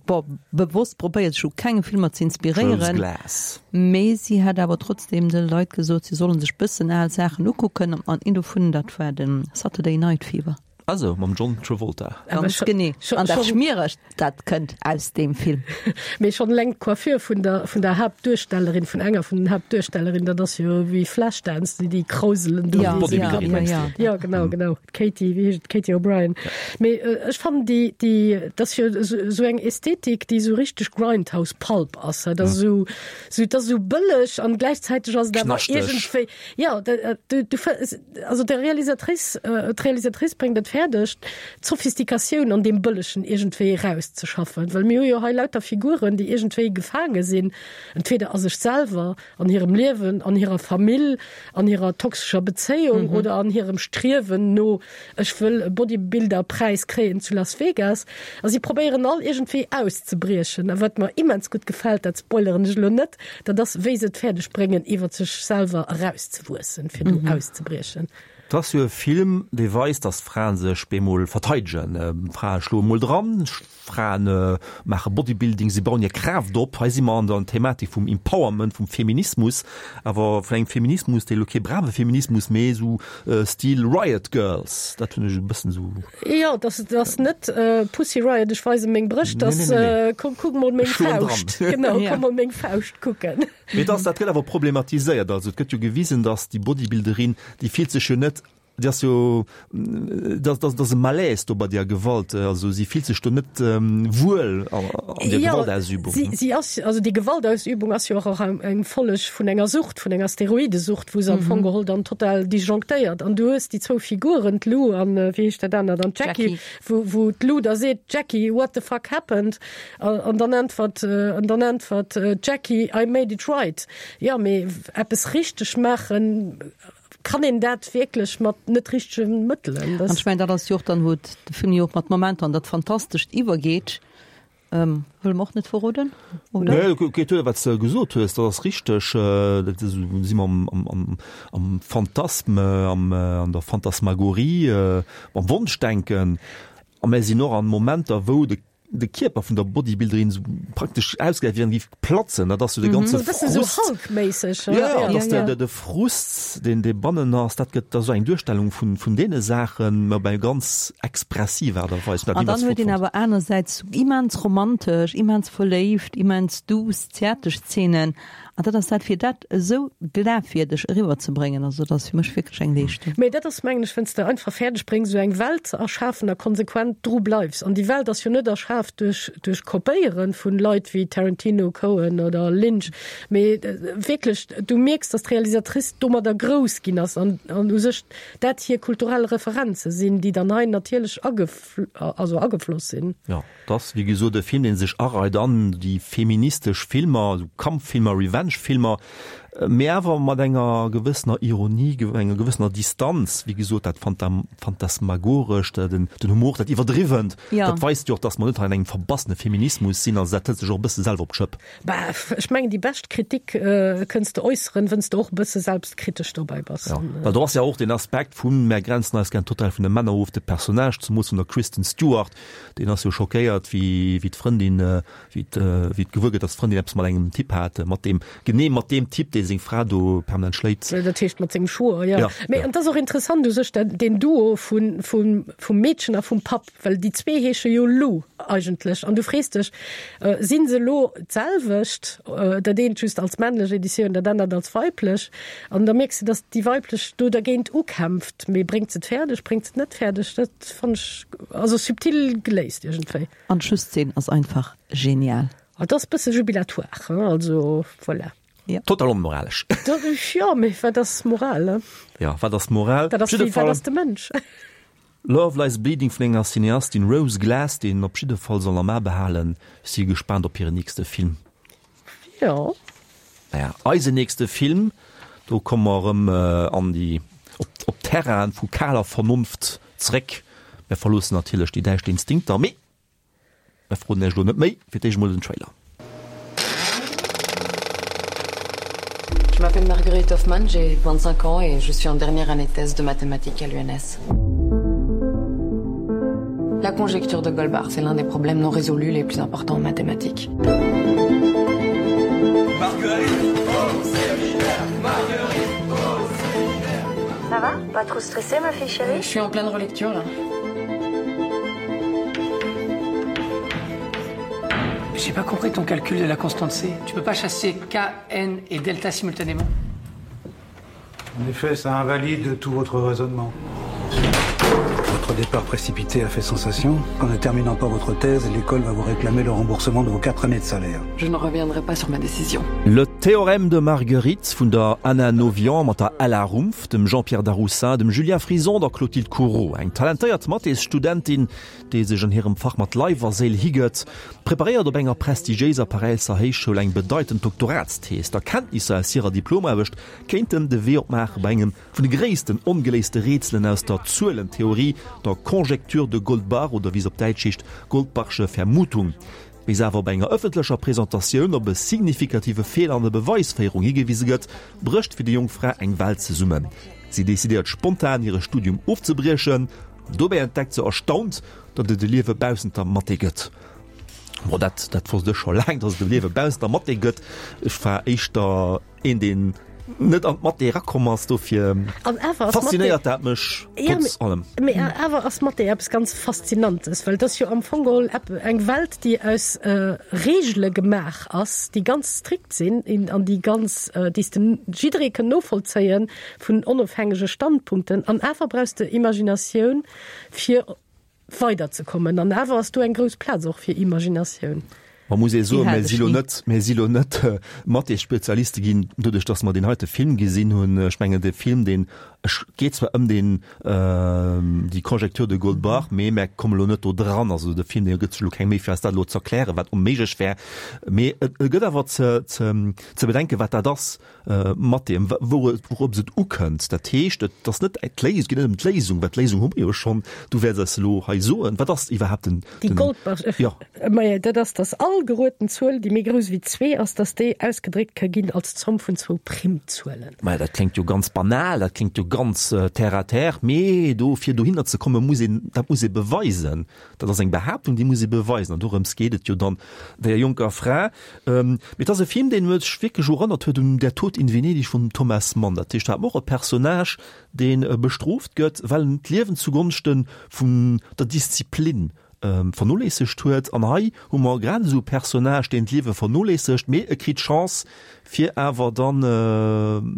bon, bewosst probéiert, sech u kenge Filmer ze inspiréieren. Rose Glass. Mee si hätt awer trotzdeem de Leit gesot, si solle sech bëssen al Saachen ukucken, an een dovun, dat war de Saturday Night Fever. Also mam John Travolta. Ganz genee. An dat Schmieregt, dat kënnt aus deem Film. Mee schonn eleng d'Coiffure vun der, vun der Haaptduerstellerin, vun enger vun den Haaptduerstellerin, dat ass jo wéi Flashdance, déi, déi Krauselen do. Ja, Bodybuilderin, ja, mengs ja. du? Ja, genau, genau. D'Katie, wéi heescht et, Katie O'Brien. Mee ech fannen déi, déi, dat ass jo esou eng Ästhetik, déi esou richteg Grindhouse-Pulp ass. Dat ass esou, esou, dat ass esou bëlleg an gläichzäiteg ass et awer Knaschteg. iergendwéi, ja, da, du, du, also der Realisatrice, d'Realisatrice bréngt et fäerdeg, d'Sophistikatioun an deem Bëllegen iergendwéi erauszeschaffen. Well mir hu jo hei lauter Figuren, déi iergendwéi gefaange sinn, entweder a sech selwer, an hirem Liewen, an hirer Famill, an hirer toxescher Bezéiung mhm. oder an hirem Striewen no, ech wëll e Bodybuilder-Präis kréien zu Las Vegas. A si probéieren all iergendwéi auszebriechen. A wat mer immens gutt gefält, dat spoileren ech elo net, dat ass, wéi se et fäerdeg bréngen, iwwer sech selwer erauszewuessen, fir do auszebriechen. Et ass jo e Film, dee weist, datt Frae sech bemol verteidegen. Frae schloe mol dran, Frae maache Bodybuilding, si bauen hir Kraaft op. Hei si mer an der Thematik vum Empowerment, vum Feminismus, awer vun engem Feminismus, dee elo kee brave Feminismus, mee esou Stil Riot Girls. Dat hunn ech e bëssen esou. Jo, dat ass net Pussy Riot, ech weise meng Brëscht, dat ass komm kuck mol meng Fauscht. Genau, komm mol meng Fauscht kucken. Mee dat gëtt awer problematiséiert. Also et gëtt jo gewisen, datt déi Bodybuilderin, déi fillt sech jo net Déi ass jo, dat dat ass e Malaise do bei där Gewalt, also si fillt sech do net wuel an där Gewaltausübung. Si si ass, also déi Gewaltausübung ass jo och eng Folleg vun enger Sucht, vun enger Steroidesucht, wou se am Fong geholl dann total disjonctéiert. An du hues déi zwou Figuren, d'Lou an, wéi heescht dat anert, an d'Jackie, wou wou d'Lou da seet, Jackie, what the fuck happened? An dann äntwert, an dann äntwert d'Jackie, I made it right. Jo, mee eppes richteg maachen, Kann een dat wierklech mat net richtege Mëttelen? An ech mengen, dat ass jo och dann, wou de Film jo och mat Momenter an dat Fantastescht iwwergeet. Wëlle mer och net verroden, oder? Nee, geet duer, wat s de gesot hues, dat ass richteg. Dat ass, si mer am, am Phantasme, am, an der Phantasmagorie, am Wonschdenken. A mer sinn och an Momenter, wou de de Kierper vun der Bodybuilderin sou praktesch ausgesäit wéi wann e géif platzen, dat ass sou de ganze Frust. E bëssen sou Hulk-méisseg. Jo, jo, dat ass de, de Frust, deen dee bannen ass, dat gëtt da sou eng Duerstellung vun, vun deene Saachen, mä op eng ganz expressiv Aart a Weis. An dann huet een awer anersäits sou immens romantesch, immens verléift, immens duuss, zäertlech Zeenen. An dat ass dat, fir dat esou glafwierdeg eriwwerzebréngen, also dat ass fir mech wierklech eng Leeschtung. Mee dat ass, mengen ech, wann s de einfach fäerdeg bréngs, esou eng Welt ze erschafen a konsequent dru bleifs. An déi Welt ass jo net erschaf duerch, duerch Kopéiere vun Leit wéi Tarantino, Coen oder Lynch, mee wierklech, du mierks, datt d'Realisatrice domadder grouss ginn ass an, an u sech dat hir kulturell Referenze sinn, déi dann hei natierlech agef, also agefloss sinn. Jo. Et ass wéi gesot e Film, dee sech areit an déi feministesch Filmer, esou Kampffilmer, Revenge-Filmer, mee awer mat enger gewëssener Ironie, enger gewëssener Distanz. Wéi gesot, dat Phantasmagorescht, den Humor, dat Iwwerdriwwent, dat weist jo och, datt mer net hei an engem verbassene Feminismus sinn. Also dat hëlt sech och e bësse selwer op d'Schëpp. Bah, ech mengen, déi bescht Kritik kënns de äusseren, wënns de och e bësse selbstkritesch dobäi bass. Jo, well do ass jo och deen Aspekt vun, mär grenzen eis gär total vun de Männer of, de Personnage, zemoos vun der Kristen Stewart, Deen ass jo schockéiert, wéi wéi d'Frëndin, wéi wéi et gewuer gëtt, datt d'Frëndin eppes mat engem Typ hat, mat deem, genee mat deem Typ, dee seng Fra do permanent schléit. Dat heescht mat sengem Schwoer, jo. Mee an et ass och interessant u sech dat, deen Duo vun, vum, vum Meedchen a vum Papp, well déi zwee heesche jo Lou eigentlech. An du frees dech, si se elo d'selwecht, dat eent just als männlech Editioun, dat anert als weiblech? An da mierks de, datt déi weiblech do dergéint ukämpft, mee bréngt se et fäerdeg, bréngt se et net fäerdeg? Dat fannen ech. Also subtil geléist iergendwéi. An d'Schlusszeen ass einfach genial. Et ass bësse jubilatoire, hein, also voilà. Ja. Total onmoralesch. Jo, mee wat ass Moral, hein? Ja, wat ass Moral? Dat ass wéi, wat ass de Mënsch? Love Lies Bleeding vun enger Cineastin, Rose Glass, déi een op jidde Fall soll am A behalen. Ech si gespaant op hiren nächste Film. Jo. Naja, eisen nächste Film, do komme mer erëm an déi, op, op Terrainen vu kaler Vernonft zréck. Mär verloossen natierlech déi däischt Instinkter, mee mär froen Iech elo net méi, fir d'éischt emol den Trailer. Je m'appelle Marguerite Hoffmann, j'ai vingt-cinq ans et je suis en dernière année de thèse de mathématiques à l'UNS. La conjecture de Goldbach, c'est l'un des problèmes non résolus les plus importants en mathématiques. Marguerite au séminaire, Marguerite au séminaire. Ça va? Pas trop stressée ma fille chérie? Je suis en pleine relecture là. J'ai pas compris ton calcul de la constante C. Tu peux pas chasser K, N et delta simultanément? En effet, ça invalide tout votre raisonnement. Votre départ précipité a fait sensation. En ne terminant pas votre thèse, l'école va vous réclamer le remboursement de vos quatre années de salaire. Je ne reviendrai pas sur ma décision. Le théorème de Marguerite vun der Anna Novian mat der Ella Rumpf, dem Jean-Pierre Daroussin, dem Julien Frison, der Clotilde Courau. Eng talentéiert Mathésstudentin, déi sech an hirem Fach mat Leif a Séil higëtt, preparéiert op enger prestigiéiser Paräisser Héichschoul eng bedeitend Doktoratsthees. D'Erkenntnisser aus hirer Diplomaarbecht kéinten de Wee opmaache bei engem vun de gréissten ongeléiste Rätselen aus der Zuelentheorie, der Conjecture de Goldbach oder wéi se op Däitsch heescht, Goldbachsche Vermutung. Wéi se awer op enger ëffentlecher Presentatioun op e signifikative Feeler an der Beweisféierung higewise gëtt, brécht fir déi jonk Fra eng Welt zesummen. Si decidéiert spontan, hire Studium ofzebriechen. Dobäi entdeckt se erstaunt, datt et e Liewe baussent der Mathé gëtt. Bon, dat, dat wosst ech scho laang, datt et e Liewe baussent der Mathé gëtt. Ech war éischter een, deen net an d'Mathé erakomm ass, dofir faszinéiert dat mech trotz allem. Mee awer ass Mathé eppes ganz Faszinantes, well et ass jo am Fong geholl eng Welt, déi aus Reegele gemaach ass, déi ganz strikt sinn an déi ganz, déi s de jidderee kënn novollzéien vun onofhängege Standpunkten. An awer brauchs de Imaginatioun, fir weiderzekommen. An awer ass do eng grouss Plaz och fir Imaginatioun. Ma muss ee soen, mir si lo net, mir si lo net Mathé-Spezialiste ginn, doduerch datt mer deen heite Film gesinn hunn. Ech mengen, dee Film, deen geet zwar ëm deen, déi Conjecture de Goldbach, mee mär komme lo net do dran. Also de Film, dee gëtt sech elo keng Méi fir eis dat elo z'erklären, wat onméiglech wär. Mee et gëtt awer ze, ze, ze bedenken, wat dat ass mat deem, wourops et ukënnt. Dat heescht, et ass net d'Léisung, et geet net ëm d'Léisung, well d'Léisung hu mer jo schonn, du wäerts eis elo hei soen, wat ass iwwerhaapt den, Déi Goldbach, jo. Maja, dat ass, datt all gerueden Zuel, déi méi grouss wéi zwee ass, datt déi ausgedréckt ka ginn als Zomm vun zwou Primzuelen. Maja, dat kléngt jo ganz banal, dat kléngt jo ganz terre à terre, mee do, fir dohinner ze kommen, muss een, dat muss ee beweisen. Dat ass eng Behaaptung, déi muss ee beweisen, an dorëms geet et jo dann der jonker Fra. Mee et ass e Film, deen mech wierklech erënnert huet un Der Tod in Venedig vum Thomas Mann. Dat heescht, do hat mer och e Personnage, dee bestrooft gëtt, well en d'Liewen zugonschte vun der Disziplin vernoléissegt huet. An hei hu mer grad esou e Personnage, deen d'Liewe vernoléissegt, mee e kritt d'Chance, fir awer dann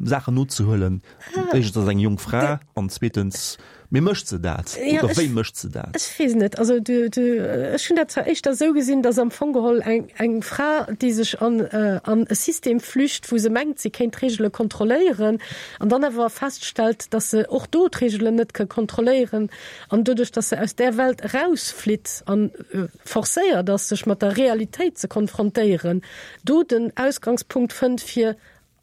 Saachen nozehuelen. Éischtens ass et eng jonk Fra an zweetens, mee mécht se dat? Ja, Oder ech, wéi mécht se dat? Ech weess net. Also du, du, ech hunn dat zwar éischter esou gesinn, datt am Fong geholl eng, eng Fra, déi sech an, an e System flücht, wou se mengt, si kéint d'Reegele kontrolléieren, an dann awer feststellt, datt se och do d'Reegelen net ka kontrolléieren, an doduerch, datt se aus där Welt erausflitt an forcéiert ass, sech mat der Realitéit ze konfrontéieren, do den Ausgangspunkt fënnt, fir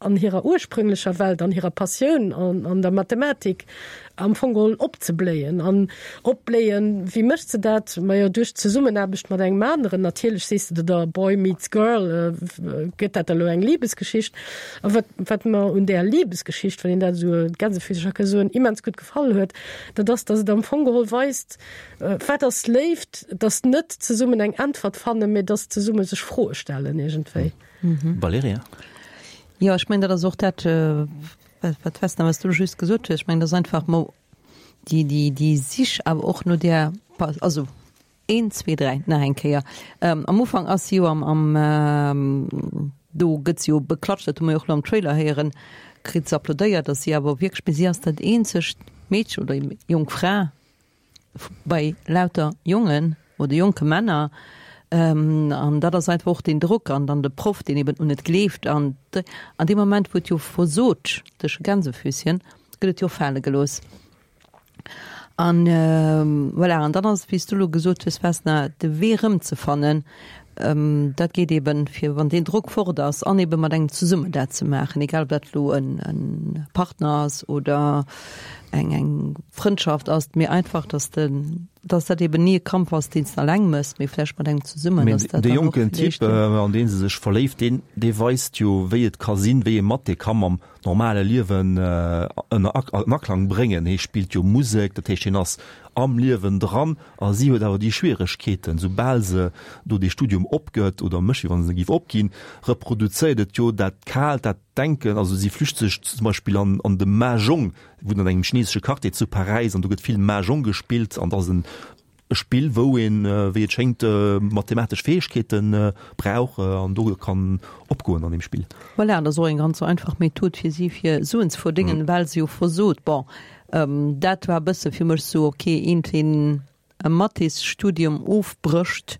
an hirer ursprünglecher Welt, an hirer Passioun, an an der Mathematik am Fong geholl opzebléien. An opbléien, wéi mécht se dat? Majo, duerch d'Zesummenaarbecht mat engem aneren. Natierlech sees de der, Boy meets Girl, gëtt dat elo eng Libesgeschicht. A wat, wat mer un där Libesgeschicht, wann een dat esou gänsefüßeger ka soen, immens gutt gefall huet, dat ass, datt et am Fong geholl weist, wat ass Léift, datt net zesummen eng Äntwert fannen, mee datt zesumme sech Froe stellen iergendwéi. Valerija? Jo, ech mengen, dat ass och dat, wat Vesna, wat s du elo just gesot hues. Ech mengen, dat ass einfach mo déi, déi, déi Sich awer och no där, also een, zwee, dräi, nach eng Kéier. Am Ufank ass si jo am, am, do gëtt si jo beklatscht, dat hu mer jo och elo am Trailer héieren, kritt se applaudéiert, dass si awer wierklech, mee si ass dat eenzegt Meedchen oder jonk Fra, bei lauter Jongen oder jonke Männer, an dat ass einfach och deen Drock an dann de Proff, deen eben un et gleeft an an deem Moment, wou et jo versot duerch e Gänsefüßchen, gëtt et jo fale gelooss. An voilà, an dann ass et, wéi s du elo gesot hues, Vesna, de Wee erëmzefannen, dat geet eben, fir wann deen Drock fort ass an eben mat engem zesummen dat ze maachen, egal ob dat elo e Partner ass oder eng eng Frëndschaft ass, mee einfach, dass de, dass dat eben ni e Kampf ass, deen s de alleng méchs, mee vläicht mat engem zesummen, Mee dass dat dee dann och jonken Typ, villäicht. an dee se sech verléift, deen, dee weist jo, wéi et ka sinn, wéi ee Mathé ka mam normale Liewen ënner an Aklang bréngen. Hie spillt jo Musek, dat heescht, hien ass am Liewen dran a si huet awer déi Schwieregkeeten, soubal se do dee Studium opgëtt oder mécht, wéi wann se e géif opginn, reproduzéiert et jo dat Kaalt, dat Denken. Also si flücht sech zum Beispill an an de Mahjong, wunnt an engem chinesesche Quartier zu Paräis an do gëtt vill Mahjong gespillt an dat ass en e Spill, wou een, wéi et schéngt, mathematesch Fäegkeete brauch an do kann opgoen an deem Spill. Voilà, dat ass och eng ganz einfach Method fir si fir Suen ze verdéngen, well se jo versot. Bon, dat war e bësse fir mech sou, ok, een deen e Mathésstudium ofbrécht,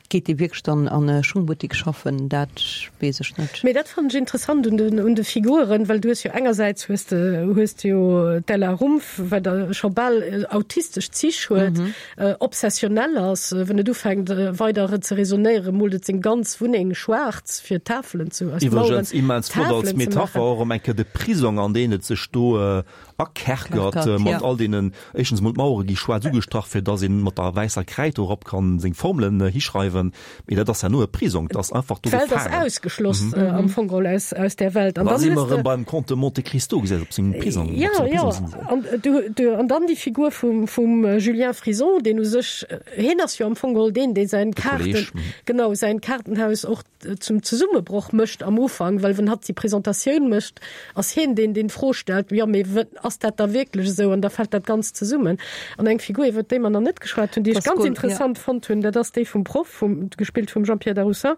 geet dee wierklech dann an e Schungbuttik schaffen? Dat weess ech net. Mee dat fannen ech interessant un den, un de Figuren, well du hues jo engersäits hues de, hues de jo d'Ella Rumpf, wat scho bal autistesch Zich huet, obsessionell ass, wann et ufänkt weider ze raisonnéieren, moolt et seng ganz Wunneng schwaarz fir Tafelen ze, aus Maueren Iwwregens immens flott als Tafelen ze Metapher maachen. och erëm eng Kéier de Prisong, an deen et sech do akerkert mat all deenen, éischtens emol d'Mauere gi schwaarz ugestrach, fir dass een mat der wäisser Kräid dorop kann seng Formelen hischreiwen, mee dat ass herno e Prisong, dat ass einfach do D'Welt ass gefaangen. ausgeschloss am Fong geholl aus, aus där Welt. An Da dann si mer hues de. erëm beim Comte de Monte Cristo, gesäis, op sengem Prisong, op Ja, senger ja, Prisongsinsel. an du, du, an dann déi Figur vum, vum Julien Frison, deen u sech, hien ass jo am Fong geholl deen, dee säin De Kaarten, Kolleg, genau, säin Kaartenhaus och zum Zesummebroch mécht am Ufank, well wann hatt déi Presentatioun mécht, ass hien deen, deen d'Fro stellt, jo mee ass dat da wierklech esou? An da fält dat Ganzt zesummen. An eng Figur, iwwert déi mer nach net geschwat hunn, déi ech ganz interessant fonnt hunn, dat ass déi vum Proff, vum, gespillt vum Jean-Pierre Darroussin.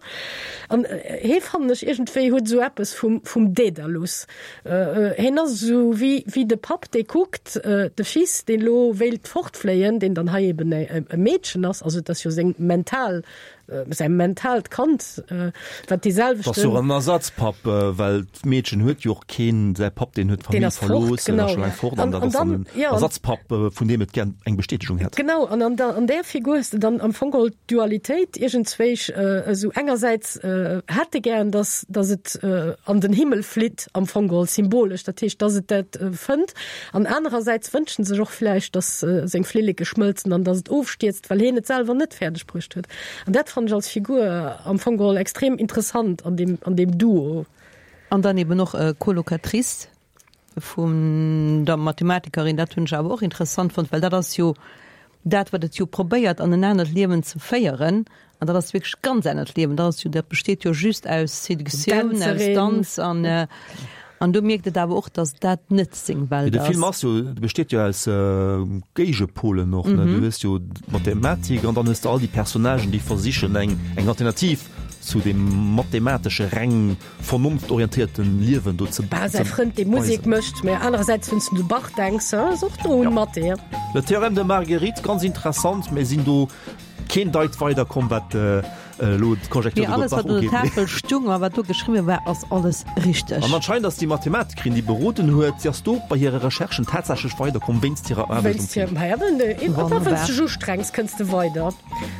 An hee fannen ech iergendwéi huet esou eppes vum, vum Dädalus. Hien ass esou wéi, wéi de Papp, dee kuckt, de Fils, deen elo wéilt fortfléien, deen dann hei eben e Meedchen ass, also et ass jo seng mental, säi mentaalt Kand, wat dee selwechten. Ass jo och en Ersatzpapp, well d'Meedchen huet jo och keen, säi Papp, deen huet d'Famill verlooss, deen ass scho laang fort, an dat ass dann en Ersatzpapp, vun deem et gär eng Bestätegung hätt. Genau, an an där Figur hues de dann am Fong geholl d'Dualitéit iergendzwéich, esou engersäits hätt e gären, dass dass et an den Himmel flitt, am Fong geholl symbolesch, dat heescht, dass et dat fënnt, an anerersäits wënscht en sech och vläicht, dass seng Flilleke schmëlzen an dass et ofstierzt, well hien et selwer net fäerdeg bruecht huet. An dat fannen ech als Figur am Fong geholl extrem interessant an deem, an deem Duo. An dann eben och Colocatrice vun der Mathematikerin, dat hunn ech awer och interessant fonnt, well dat ass jo dat, wat et jo probéiert an en anert Liewen ze féieren. An dat ass wierklech ganz anert Liewen, dat ass jo, dat besteet jo just aus Seductioun, aus Danz an An do mierkt et awer och, datt dat net seng Welt ass. De Film ass jo, besteet jo aus Géigepolen och, ne? Du hues jo d'Mathematik an dann hues de all déi Personnagen, déi versichen eng eng Alternativ zu deem mathematesche reng vernonftorientéierten Liewen do ze Bah, säi Frënd, dee Musek mécht, mä anerersäits, wann s de un de Bach denks, ass och do un Mathé. Le Théorème de Marguerite, ganz interessant, mä sinn do keen Deit weider komm, wat elo d'Konjektur iwwer d'Bach ugeet. Alles wat un der Mee Tafel stung a wat do geschriwwe war, ass alles richteg. An anscheinend ass déi Mathematikerin, déi beroden huet, si ass do bei hire Recherchen tatsächlech weiderkomm wéinst hirer Aarbecht um Film. Wéinst hirem, wéinst dech ustrengs, kënns de weider.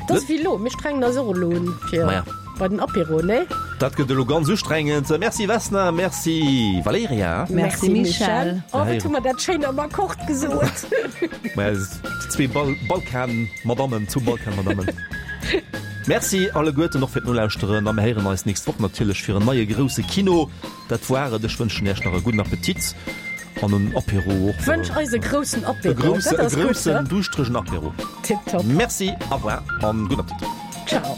Dat ass wéi elo, mir strengen eis och elo un fir bei den Apéro, nee? Dat gëtt elo ganz ustrengend. Merci Vesna, merci Valerija. Merci Michèle. Oh, wat hu mer dat schéin am Akkord gesot. Maja, zwee Balkan-Madammen, zwou Balkan-Madammen. Merci alleguerten och fir d'Nolauschteren a mir héieren eis nächst Woch natierlech fir en neie grousse Kino. Dat war et. Ech wënschen Iech nach e gudden Appetit an en Apéro och. Wënsch eis e groussen Apéro. E grousse, e groussen, duuschteregen Apéro. Tiptop. Merci, au revoir an gudden Appetit. Ciao.